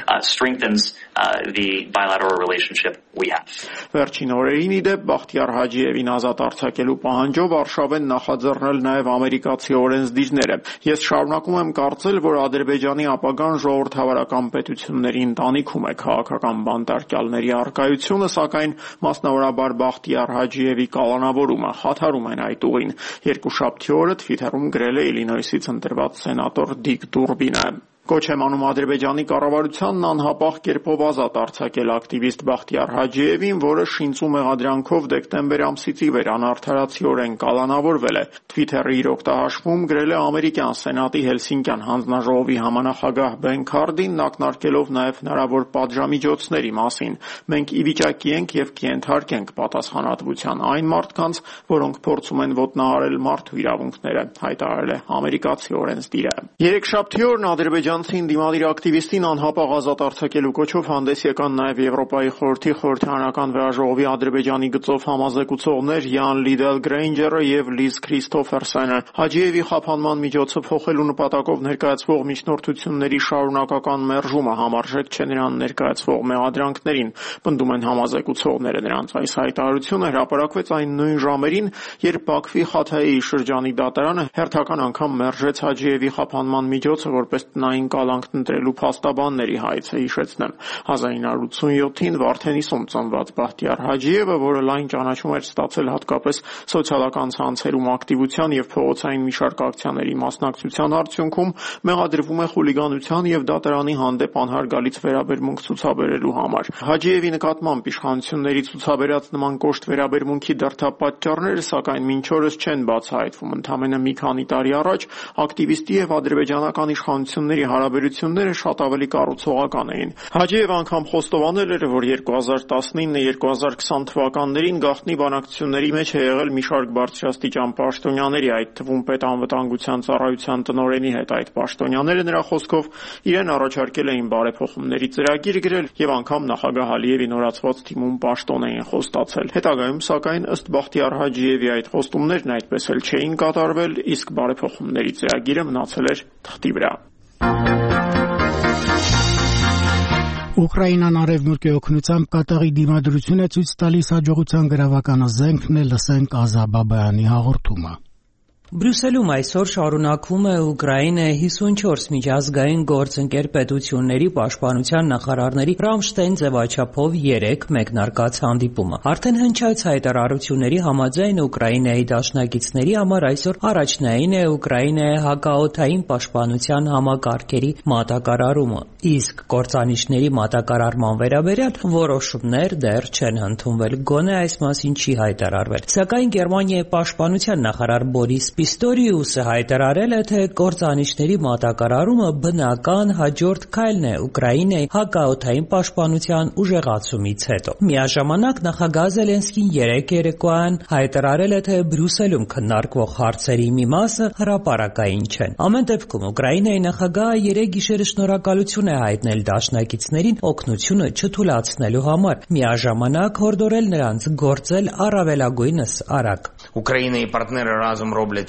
Վերջին օրերին ի դեպ Բախտիար Հաջիևին ազատ արձակելու պահանջով արշավ են նախաձեռնել նաև ամերիկացի օրենսդիրները։ Ես շարունակում եմ կարծել, որ Ադրբեջանի ապագան ժողովրդավարական պետությունների ընտանիքում է քաղաքական բանտարկյալների առկայությունը, սակայն մասնավորաբար Բախտիար Հաջիևի կալանավորումը խաթարում են այդ ուղին։ Երկուշաբթի օրը Թվիթերում գրել է Իլինոյսից ընտրված սենատոր Դիկ Դուրբինը։ Կոչ եմ անում Ադրբեջանի կառավարությանն անհապաղ կերպով ազատ արձակել ակտիվիստ Բախտիար Հաջիևին, որը շինծու մեղադրանքով դեկտեմբեր ամսից ի վեր անարդարացիորեն կալանավորվել է։ Թվիթերի իր օգտահաշվում գրել է ամերիկյան սենատի Հելսինկյան հանձնաժողովի համանախագահ Բեն Քարդին, ակնարկելով նաև հնարավոր պատժամիջոցների մասին։ Մենք ի վիճակի ենք եւ կենթարկենք պատասխանատվության այն մարդկանց, որոնք փորձում են ոտնահարել մարդու իրավունքները, հայտարարել է ամերիկացի օրենսդիրը։ Երեքշաբթի օրն ադրբեջանցի ընդդիմադիր ակտիվիստին անհապաղ ազատ արձակելու կոչով հանդես եկան նաև Եվրոպայի խորհրդի խորհրդարանական վեաժողովի Ադրբեջանի գծով համազեկուցողներ Յան Լիդել Գրեյնջերը եւ Լիզ Քրիստոֆերսենը։ Հաջիևի խափանման միջոցը փոխելու նպատակով ներկայացվող միջնորդությունների շարունակական մերժումը համարժեք չէ նրան ներկայացվող մեղադրանքներին, պնդում են համազեկուցողները։ Նրանց այս հայտարարությունը հրապարակվեց այն նույն ժամերին, երբ Բաքվի Խաթայի շրջանի դատարանը հերթական անգամ մերժեց Հաջիևի խափանման միջոցը որպես տնային Հայաստանին կալանք ընտրելու փաստաբանների հայցը, հիշեցնեմ։ 1987-ին Վարդենիսում ծնված Բախտիար Հաջիևը, որը լայն ճանաչում էր ստացել հատկապես սոցիալական ցանցերում ակտիվության եւ փողոցային մի շարք ակցիաների մասնակցության արդյունքում, մեղադրվում է խուլիգանության եւ դատարանի հանդեպ անհարգալից վերաբերմունք ցուցաբերելու համար։ Հաջիևի նկատմամբ իշխանությունների ցուցաբերած նման կոշտ վերաբերմունքի դրդապատճառները, սակայն մինչ օրս չեն բացահայտվում։ Ընդամենը մի քանի տարի առաջ ակտիվիստի եւ ադրբեջանական իշխանությունների հարաբերությունները շատ ավելի կառուցողական էին։ Հաջիևը անգամ խոստովանել էր, որ 2019-2020 թվականներին գաղտնի բանակցությունների մեջ է եղել մի շարք բարձրաստիճան պաշտոնյաների, այդ թվում պետանվտանգության ծառայության տնօրենի հետ։ Այդ պաշտոնյաները նրա խոսքով իրեն առաջարկել էին բարեփոխումների ծրագիր գրել եւ անգամ նախագահ Ալիևի նորացված թիմում պաշտոն էին խոստացել։ Հետագայում, սակայն, ըստ Բախտիար Հաջիևի այդ խոստումներն այդպես էլ չէին կատարվել, իսկ բարեփոխումների ծրագիրը մնացել էր թղթի վրա։ Ուկրաինան արևմուտքի օգնությամբ Կատարի դիմադրությունը ցույց տալիս հաջողության գրավական զենքն է, լսենք Ազա Բաբայանի հաղորդումը։ Բրյուսելում այսօր շարունակվում է Ուկրաինայի 54 միջազգային գործընկեր պետությունների պաշտպանության նախարարների Ռամշտեյն ձևաչափով 3 մեկնարկած հանդիպումը։ Արդեն հնչած հայտարարությունների համաձայն Ուկրաինայի դաշնակիցների համար այսօր առաջնային է Ուկրաինայի հակաօդային պաշտպանության համակարգերի մատակարարումը, իսկ կործանիչների մատակարարման վերաբերյալ որոշումներ դեռ չեն ընդունվել, գոնե այս մասին չի հայտարարվել։ Սակայն Գերմանիայի պաշտպանության նախարար Բորիս Պիստորիուսը հայտարարել է, թե կործանիչների մատակարարումը բնական հաջորդ քայլն է Ուկրաինայի հակաօդային պաշտպանության ուժեղացումից հետո։ Միաժամանակ նախագահ Զելենսկին երեկոյան հայտարարել է, թե Բրյուսելում քննարկվող հարցերի մի մասը հրապարակային չեն։ Ամեն դեպքում Ուկրաինայի նախագահը երեկ գիշերը շնորհակալություն է հայտնել դաշնակիցներին օգնությունը չթուլացնելու համար, միաժամանակ հորդորել նրանց գործել առավելագույնս արագ։ Ուկրաինայի պարտները ռազում ռոբլետ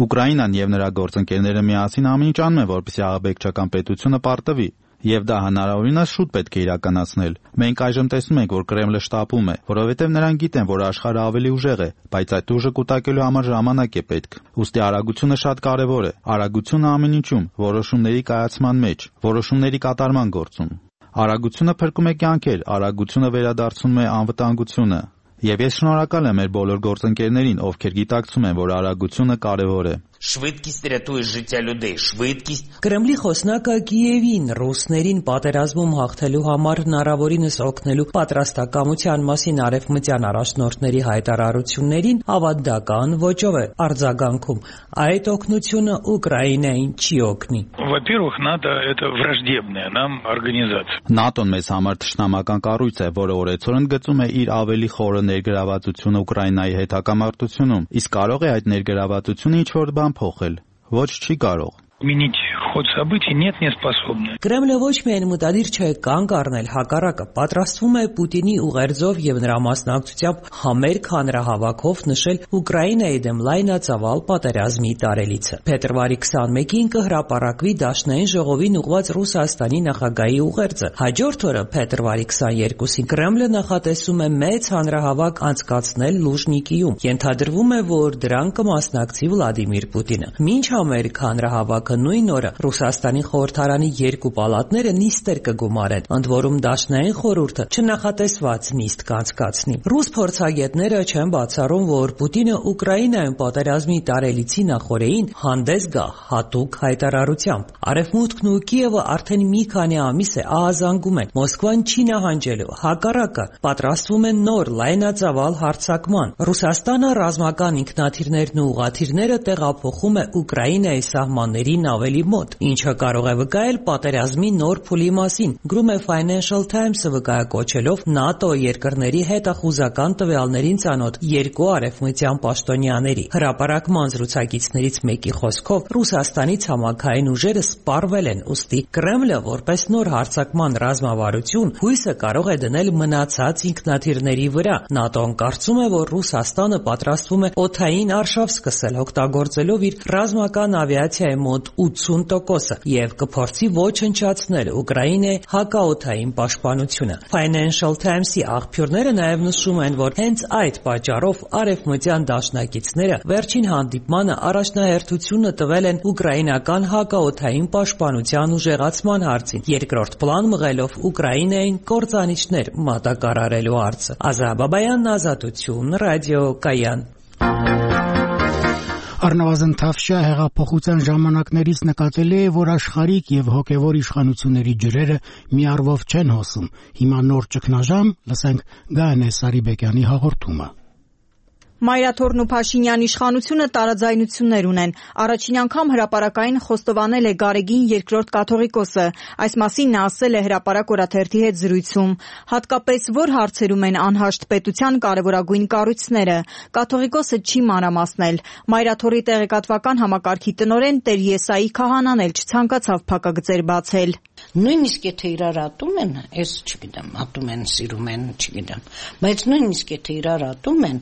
Ուկրաինան եւ նրա գործընկերները միասին ամեն ինչ անում են, որպեսզի ահաբեկչական պետությունը պարտվի, եւ դա հնարավորինս շուտ պետք է իրականացնել։ Մենք այժմ տեսնում ենք, որ Կրեմլը շտապում է, որովհետեւ նրանք գիտեն, որ աշխարհը ավելի ուժեղ է, բայց այդ ուժը կուտակելու համար ժամանակ է պետք։ Ուստի արագությունը շատ կարեւոր է։ Արագությունը ամեն ինչում, որոշումների կայացման մեջ, որոշումների կատարման գործում։ Արագությունը փրկում է կյանքեր, արագությունը վերադարձնում է անվտանգությունը։ Եվ ես շնորհակալ եմ մեր բոլոր գործընկերներին, ովքեր գիտակցում են, որ արագությունը կարևոր է։ Շվիդկիստ ռятує життя людей, շվիդկիստ։ Կրեմլի խոսնակը Կիևին ռուսներին պատերազմում հաղթելու համար հնարավորինս օգնելու պատրաստակամության մասին արևմտյան առաջնորդների հայտարարություններին ավանդական ոճով է արձագանքում։ Այդ օգնությունը Ուկրաինային չի օգնի։ Во-первых, НАТО это враждебная нам организация. ՆԱՏՕ-ն մեզ համար թշնամական կառույց է, որը օրեցօր ընդգծում է իր ավելի խորը ներգրավվածությունը Ուկրաինայի հետ հակամարտությունում, իսկ կարող է այդ ներգրավվածությունը ինչ-որ բան փոխել։ Ոչ, չի կարող։ Изменить ход событий нет, не способны. Կրեմլը ոչ միայն մտադիր չէ կանգ առնել, հակառակը պատրաստվում է Պուտինի ուղերձով եւ նրա մասնակցությամբ համերգ հանրահավաքով նշել Ուկրաինայի դեմ լայնածավալ պատերազմի տարելիցը։ Փետրվարի 21-ին կհրապարակվի Դաշնային ժողովին ուղղված Ռուսաստանի նախագահի ուղերձը։ Հաջորդ օրը փետրվարի 22-ին Կրեմլը նախատեսում է մեծ հանրահավաք անցկացնել Լուժնիկիում։ Ենթադրվում է, որ դրան կմասնակցի Վլադիմիր Պուտինը։ Մինչ համերգ հանրահավաքը նույն օրը Ռուսաստանի խորհրդարանի 2 պալատները նիստեր կգումարեն, ընդ որում Դաշնային խորհուրդը չնախատեսված նիստ կանցկացնի։ Ռուս փորձագետները չեն բացառում, որ Պուտինը Ուկրաինայում պատերազմի տարելիցի նախօրեին հանդես գա հատուկ հայտարարությամբ։ Արևմուտքն ու Կիևը արդեն մի քանի ամիս է ահազանգում են Մոսկվան չի նահանջելու, հակառակը պատրաստվում են նոր լայնածավալ հարձակման։ Ռուսաստանը ռազմական ինքնաթիռներն ու ուղղաթիռները տեղափոխում է Ուկրաինայի սահմաններին ավելի մոտ, ինչը կարող է վկայել պատերազմի նոր փուլի մասին, գրում է Financial Times-ը վկայակոչելով ՆԱՏՕ երկրների հետախուզական տվյալներին ծանոթ 2 արևմտյան պաշտոնյաների։ Հրապարակման զրուցակիցներից մեկի խոսքով Ռուսաստանի ցամաքային ուժերը սպառվել են, ուստի Կրեմլը որպես նոր հարձակման ռազմավարություն հույսը կարող է դնել մնացած ինքնաթիռների վրա։ ՆԱՏՕ-ն կարծում է, որ Ռուսաստանը պատրաստվում է օդային արշավ սկսել օգտագործելով իր ռազմական ավիացիայի մոտ մոտ 80% եւ կփորձի ոչնչացնել Ուկրաինայի հակաօդային պաշտպանությունը։ Financial Times-ի աղբյուրները նաեւ նշում են, որ հենց այդ պատճառով արևմտյան դաշնակիցները վերջին հանդիպմանը առաջնահերթությունը տվել են ուկրաինական հակաօդային պաշտպանության ուժեղացման հարցին, երկրորդ պլան մղելով Ուկրաինային կործանիչներ մատակարարելու հարցը։ Ազա Բաբայան, Ազատություն, ռադիո Կայան։ Առնվազն Թավշյա հեղափոխության ժամանակներից նկատելի է, որ աշխարհիկ եւ հոգեվոր իշխանությունների ջրերը մի առվով չեն հոսում։ Հիմա նոր ճգնաժամ, լսենք Գայանե Սարիբեկյանի հաղորդումը։ Մայրաթորն ու Փաշինյան իշխանությունը տարաձայնություններ ունեն։ Առաջին անգամ հրապարակային խոստովանել է Գարեգին II կաթողիկոսը։ Այս մասին նա ասել է հրապարակ օրաթերթի հետ զրույցում։ Հատկապես որ հարցերում են անհաշտ պետության կարևորագույն կառույցները։ Կաթողիկոսը չի մանրամասնել։ Մայրաթորի տեղեկատվական համակարգի տնօրեն Տեր Եսայի Քահանան էլ չցանկացավ փակագծեր բացել։ Նույնիսկ եթե իրար ատում են, ես չգիտեմ, ատում են, սիրում են, չգիտեմ, բայց նույնիսկ եթե իրար ատում են,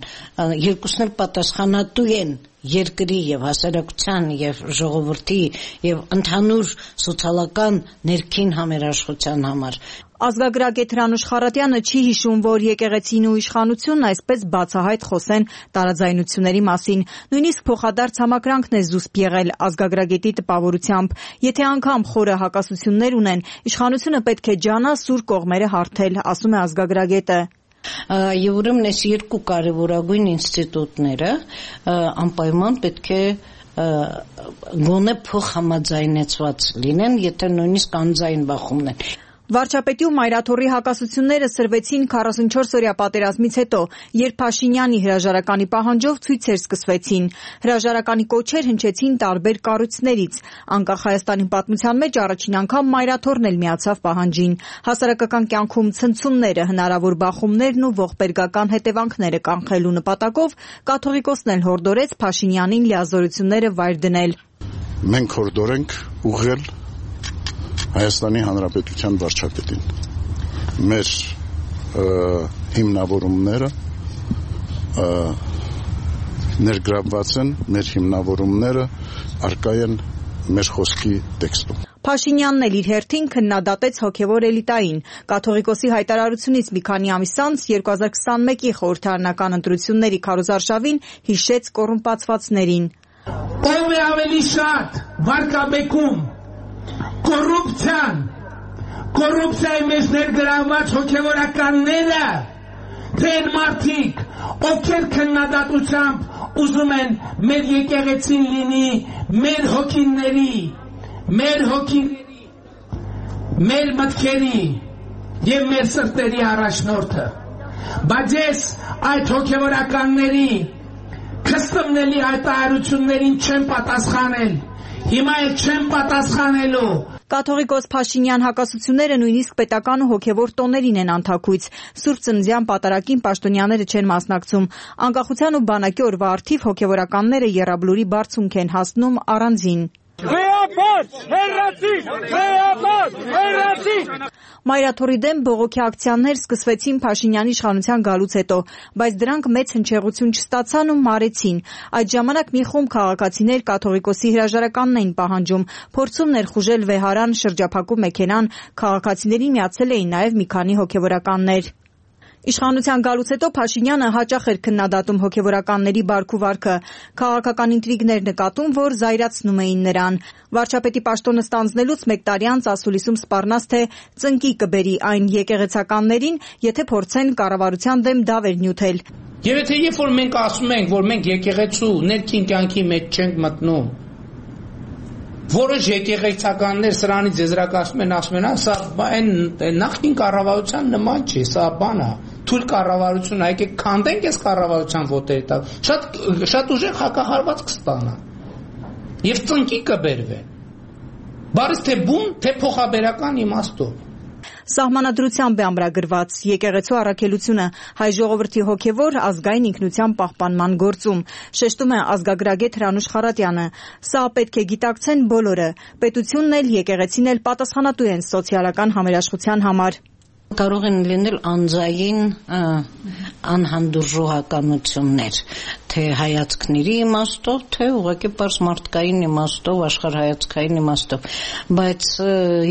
երկուսն էլ պատասխանատու են երկրի եւ հասարակության եւ ժողովրդի եւ ընդհանուր սոցիալական ներքին համերաշխության համար։ Ազգագրագետ Հրանուշ Խառատյանը չի հիշում, որ եկեղեցին ու իշխանությունն այսպես բացահայտ խոսեն տարաձայնությունների մասին։ Նույնիսկ փոխադարձ համակրանքն է զուսպ եղել ազգագրագետի տպավորությամբ։ Եթե անգամ խորը հակասություններ ունեն, իշխանությունը պետք է ջանա սուր կողմերը հարթել, ասում է ազգագրագետը։ Եվ ուրեմն այս երկու կարևորագույն ինստիտուտները անպայման պետք է գոնե փոխհամաձայնեցված լինեն, եթե նույնիսկ անձայն բախումն են։ Վարչապետի ու Մայրաթորի հակասությունները սրվեցին 44-օրյա պատերազմից հետո, երբ Փաշինյանի հրաժարականի պահանջով ցույցեր սկսվեցին։ Հրաժարականի կոչեր հնչեցին տարբեր կառույցներից։ Անկախ Հայաստանի պատմության մեջ առաջին անգամ Մայրաթորն էլ միացավ պահանջին։ Հասարակական կյանքում ցնցումները, հնարավոր բախումներն ու ողբերգական հետևանքները կանխելու նպատակով կաթողիկոսն էլ հորդորեց Փաշինյանին լիազորությունները վայր դնել։ Մենք հորդորենք ուղղել Հայաստանի Հանրապետության վարչապետին մեր հիմնավորումները ներգրավված են, մեր հիմնավորումները արկա են մեր խոսքի տեքստում։ Փաշինյանն էլ իր հերթին քննադատեց հոգևոր էլիտային։ Կաթողիկոսի հայտարարությունից մի քանի ամիս անց 2021-ի խորհրդարանական ընտրությունների քարոզարշավին հիշեց կոռումպացվածներին։ Ով է ավելի շատ վարկաբեկում կոռուպցիայի մեջ ներգրավված հոգևորականները, թե են մարդիկ, ովքեր քննադատությամբ ուզում են մեր եկեղեցին լինի մեր հոգիների, մեր մտքերի եւ մեր սրտերի առաջնորդը։ Բայց ես այդ հոգևորականների քստմնելի հայտարարություններին չեմ պատասխանել։ Հիմա էլ չեմ պատասխանելու։ Կաթողիկոս Փաշինյան հակասությունները նույնիսկ պետական ու հոգևոր տոներին են անթաքույց։ Սուրբ Ծննդյան պատարագին պաշտոնյաները չեն մասնակցում։ Անկախության ու բանակի օրվա առթիվ հոգևորականները եռաբլուրի բարձունք են հասնում առանձին։ Մայրաթորի դեմ բողոքի ակցիաներ սկսվեցին Փաշինյանի իշխանության գալուց հետո, բայց դրանք մեծ հնչեղություն չստացան ու մարեցին։ Այդ ժամանակ մի խումբ քաղաքացիներ կաթողիկոսի հրաժարականն էին պահանջում, փորձում ներխուժել վեհարան շրջափակու մեքենան, քաղաքացիներին միացել էին նաև մի քանի հոգևորականներ։ Իշխանության գալուց հետո Փաշինյանը հաճախ էր քննադատում հոգևորականների բարք ու վարքը։ Քաղաքական ինտրիգներ նկատում, որ զայրացնում էին նրան։ Վարչապետի պաշտոնը ստանձնելուց մեկ տարի անց ասուլիսում սպառնաց, թե ծնկի կբերի այն եկեղեցականներին, եթե փորձեն կառավարության դեմ դավեր նյութել։ Եվ եթե երբ որ մենք ասում ենք, որ մենք եկեղեցու ներքին կյանքի մեջ չենք մտնում, որոշ եկեղեցականներ սրանից եզրակացնում են, ասում են, սա այն նախկին կառավարության նման չէ, սա բան է, թույլ կառավարություն, եկեք քանդենք այս կառավարության ոտերի տակ, շատ ուժեղ հակահարված կստանա եւ ծնկի կբերվեն։ Բարից թե բուն, թե փոխաբերական իմաստով։ Սահմանադրությամբ է ամրագրված եկեղեցու առաքելությունը հայ ժողովրդի հոգևոր ազգային ինքնության պահպանման գործում, շեշտում է ազգագրագետ Հրանուշ Խառատյանը։ Սա պետք է գիտակցեն բոլորը, պետությունն էլ, եկեղեցին էլ պատասխանատու են սոցիալական համերաշխության համար։ Կարող են լինել անձային անհանդուրժողականություններ, թե հայացքների իմաստով, թե ուղղակի պարզ մարդկային իմաստով, աշխարհայացքային իմաստով, բայց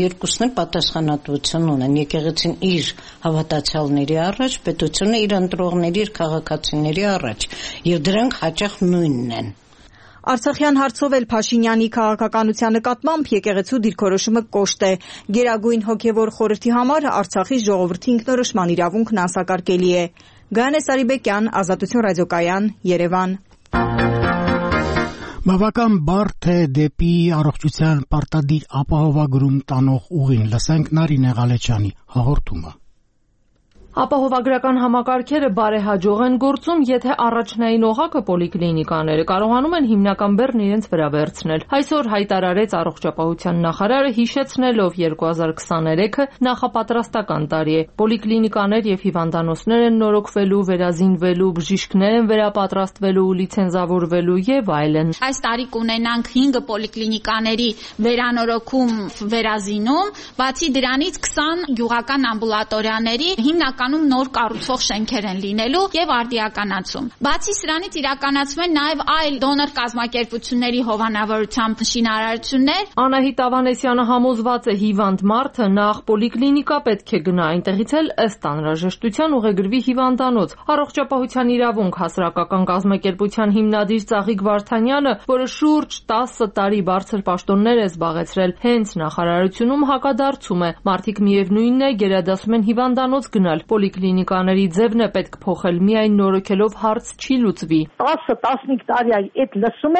երկուսն էլ պատասխանատվություն ունեն։ Եկեղեցին իր հավատացյալների առաջ, պետությունը իր ընտրողների, իր քաղաքացիների առաջ, եւ դրանք հաճախ նույնն են։ Արցախյան հարցով էլ Փաշինյանի քաղաքականության նկատմամբ եկեղեցու դիրքորոշումը կոշտ է։ Գերագույն հոգևոր խորհրդի համար Արցախի ժողովրդի ինքնորոշման իրավունքն անսակարկելի է։ Գայանե Սարիբեկյան, Ազատություն ռադիոկայան, Երևան։ Բավական բարդ է դեպի առողջության պարտադիր ապահովագրում տանող ուղին։ Լսենք Նարինե Ղալեչյանի հաղորդումը։ Ապահովագրական համակարգերը բարեհաջող են գործում, եթե առաջնային օղակը պոլիկլինիկաները կարողանում են հիմնական բեռն իրենց վրա վերցնել։ Այսօր հայտարարեց առողջապահության նախարարը, հիշեցնելով 2023-ը նախապատրաստական տարի է։ Պոլիկլինիկաներ եւ հիվանդանոցներ են նորոգվելու, վերազինվելու, բժիշկներ են վերապատրաստվելու, լիցենզավորվելու եւ այլն։ Այս տարի կունենանք 5 պոլիկլինիկաների վերանորոգում, վերազինում, բացի դրանից 20 գյուղական ամբուլատորիաների հիմնական նոր կառուցվող շենքեր են լինելու եւ արդիականացում։ Բացի սրանից իրականացվում են նաեւ այլ դոնոր կազմակերպությունների հովանավորությամբ շինարարություններ։ Անահիտ Ավանեսյանը համոզված է, հիվանդ մարդը նախ պոլիկլինիկա պետք է գնա, այնտեղից էլ ըստ անհրաժեշտության ուղեգրվի հիվանդանոց։ Առողջապահության իրավունք հասարակական կազմակերպության հիմնադիր Ծաղիկ Վարդանյանը, որը շուրջ 10 տարի բարձր պաշտոններ է զբաղեցրել, հենց նախարարությունում հակադարձում է։ Մարդիկ միևնույնն է գերադասում են հիվանդանոց գնալ։ Պոլիկլինիկաների ձևն է պետք փոխել, միայն նորոգելով հարց չի լուծվի։ 10-15 տարի այդ լսում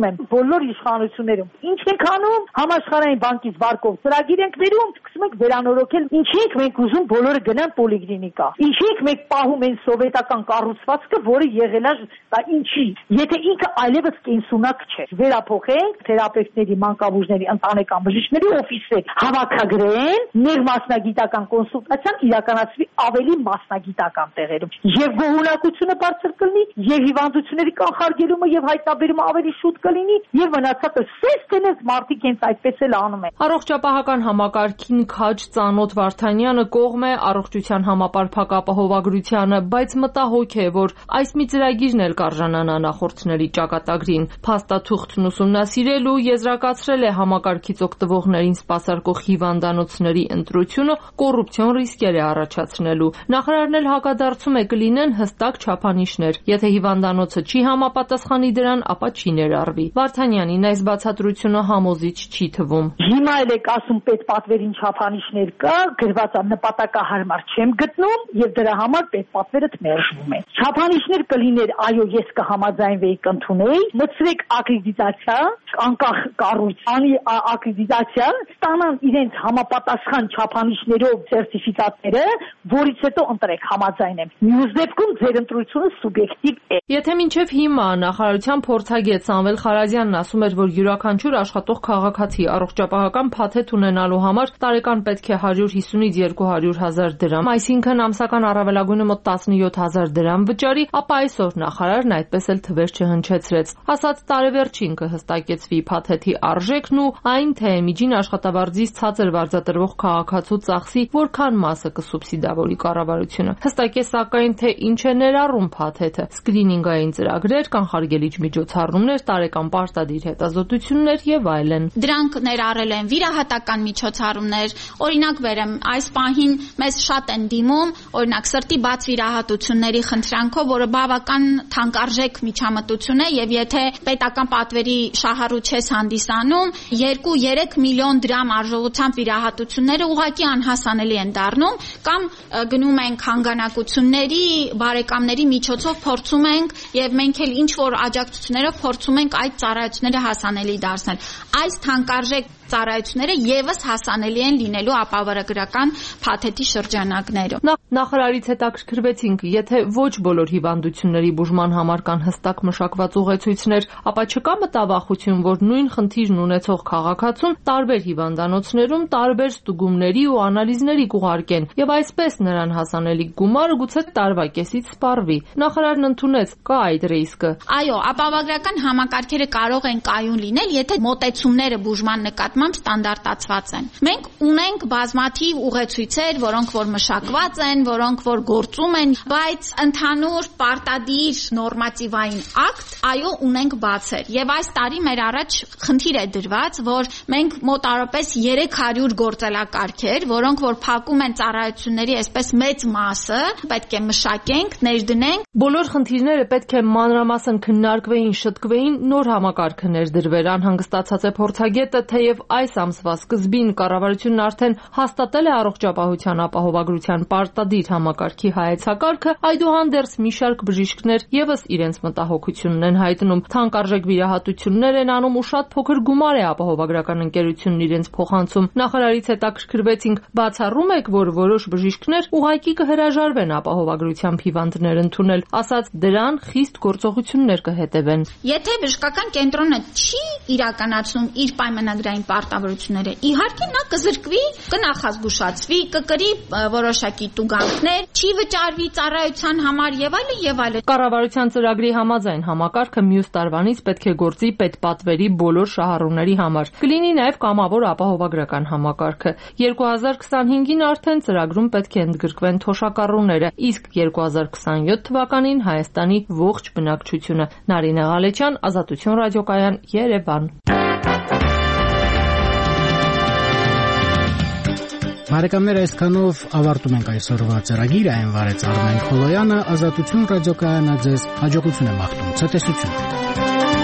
եմ բոլոր իշխանություններում։ Ինչ ենք անում, համաշխարհային բանկից վարկով ծրագիր ենք վերում, սկսում ենք վերանորոգել։ Ինչի ենք մենք ուզում բոլորը գնան պոլիկլինիկա։ Ինչի ենք մենք պահում են սովետական կառուցվածքը, որը եղել է դա ինչի։ Եթե ինքը այլևս կենսունակ չէ, վերափոխենք թերապևտների, մանկաբույժների, ընտանեկան բժիշկների օֆիսներ հավաքագրեն, ներմասնագիտական կոնսուլտացիան իրականացվի ավելի մասնագիտական տեղերում։ Եվ գոհունակությունը բարձր կլինի, եւ հիվանդությունների կանխարգելումը եւ հայտնաբերումը ավելի շուտ կլինի, եւ մնացածը սեստենես մարդիկ հենց այդպես էլ անում են։ Առողջապահական համակարգին քաջ ծանոթ Վարդանյանը կողմ է առողջության համապարփակ ապահովագրությանը, բայց մտահոգ է, որ այս մի ծրագիրն էլ կարժանանա նախորդների ճակատագրին։ Փաստաթուղթն ուսումնասիրել ու եզրակացրել է համակարգից օգտվողներին սպասարկող հիվանդանոցների ընտրությունը կոռուպցիոն ռիսկեր է առաջացնելու։ Նախարարն էլ հակադարձում է կլինեն հստակ չափանիշներ։ Եթե հիվանդանոցը չի համապատասխանի դրան, ապա չի ներառվի։ Վարդանյանին այս բացատրությունը համոզիչ չի թվում։ Հիմա էլ եք ասում պետպատվերին չափանիշներ կա, գրված է նպատակահարմար չեմ գտնում եւ դրա համար պետպատվերը մերժվում է։ Չափանիշներ կլիներ, այո, ես կհամաձայնվեի կընդունեի, մտցրեք ակրեդիտացիա, անկախ կառույցանի ակրեդիտացիա, ստանան իրենց համապատասխան չափանիշներով սերտիֆիկատները, որից հետո ընտրեք համաձայնեմ։ Մյուս դեպքում ձեր ընտրությունը սուբյեկտիվ է։ Եթե մինչև հիմա նախարարության փորձագետ Սամվել Խարազյանն ասում էր, որ յուրաքանչյուր աշխատող քաղաքացի առողջապահական փաթեթ ունենալու համար տարեկան պետք է 150-ից 200,000 դրամ, այսինքն ամսական առավելագույնը մոտ 17,000 դրամ վճարի, ապա այսօր նախարարն այդպես էլ թվեր չհնչեցրեց։ Ասած տարեվերջին կհստակեցվի փաթեթի արժեքն ու այն, թե միջին աշխատավարձից ցածր վարձատրվող քաղաքացու ծախսի որքան մասը կսուբսիդավորի կառավարությունը։ Հստակ է սակայն, թե ինչ է ներառում փաթեթը՝ սկրինինգային ծրագրեր, կանխարգելիչ միջոցառումներ, տարեկան պարտադիր հետազոտություններ եւ այլն։ Դրանք ներառել են վիրահատական միջոցառումներ, օրինակ վերեմ, այս պահին մեզ շատ են դիմում, օրինակ սրտի բաց վիրահատությունների խնդրանքով, որը բավական թանկարժեք միջամտություն է եւ եթե պետական պատվերի շահառու չես հանդիսանում, 2-3 միլիոն դրամ արժողությամբ վիրահատությունները ուղղակի անհասանելի են դառնում, կամ գնում ենք հանգանակությունների, բարեկամների միջոցով փորձում ենք եւ մենք էլ ինչ որ աջակցություններով փորձում ենք այդ ծառայությունները հասանելի դարձնել։ Այս թանկարժեք ծառայությունները եւս հասանելի են լինելու ապահովագրական փաթեթի շրջանակներում։ Նախարարից հետաքրքրվեցինք, եթե ոչ բոլոր հիվանդությունների բուժման համար կան հստակ մշակված ուղեցույցներ, ապա չկա մտավախություն, որ նույն խնդիրն ունեցող քաղաքացուն տարբեր հիվանդանոցներում տարբեր ստուգումների ու անալիզների կուղարկեն եւ այսպես նրան հասանելիք գումարը գուցե տարվա կեսից սպառվի։ Նախարարն ընդունեց, կա այդ ռիսկը։ Այո, ապահովագրական համակարգերը կարող են կայուն լինել, եթե մոտեցումները բուժման նկատմամբ նկատմամբ ստանդարտացված են։ Մենք ունենք բազմաթիվ ուղեցույցեր, որոնք որ մշակված են, որոնք որ գործում են, բայց ընդհանուր պարտադիր նորմատիվային ակտ այո ունենք բացեր։ Եվ այս տարի մեր առաջ խնդիր է դրված, որ մենք մոտարապես 300 գործելակարգեր, որոնք որ փակում են ծառայությունների այսպես մեծ մասը, պետք է մշակենք, ներդնենք։ Բոլոր խնդիրները պետք է մանրամասն քննարկվեին, շտկվեին, նոր համակարգը ներդրվեր։ Անհանգստացած է փորձագետը, թեև այս ամսվա սկզբին կառավարությունն արդեն հաստատել է առողջապահության ապահովագրության պարտադիր համակարգի հայեցակարգը, այդուհանդերձ մի շարք բժիշկներ եւս իրենց մտահոգությունն են հայտնում։ Թանկարժեք վիրահատություններ են անում ու շատ փոքր գումար է ապահովագրական ընկերությունն իրենց փոխանցում։ Նախարարից հետաքրքրվեցինք, բացառում եք, որ որոշ բժիշկներ ուղղակի կհրաժարվեն ապահովագրությամբ հիվանդներ ընդունել, ասաց դրան խիստ գործողություններ կհետևեն։ Եթե բժշկական կենտրոնը չի իրականացնում իր պայմանագրային պարտավորությունները, իհարկե նա կզրկվի, կնախազգուշացվի, կկրի որոշակի տուգանքներ, չի վճարվի ծառայության համար եւ այլն եւ այլն։ Կառավարության ծրագրի համաձայն համակարգը մյուս տարվանից պետք է գործի պետպատվերի բոլոր շահառուների համար։ Կլինի նաեւ կամավոր ապահովագրական համակարգը։ 2025-ին արդեն ծրագրում պետք է ընդգրկվեն թոշակառուները, իսկ 2027 թվականին Հայաստանի ողջ բնակչությունը։ Նարինե Ղալեչյան, Ազատություն ռադիոկայան, Երևան։ Բարեկամներ, այսքանով ավարտում ենք այսօրվա ծրագիրը, այն վարեց Արմեն Խոլոյանը, Ազատություն ռադիոկայանը ձեզ հաջողություն է մաղթում, ցտեսություն։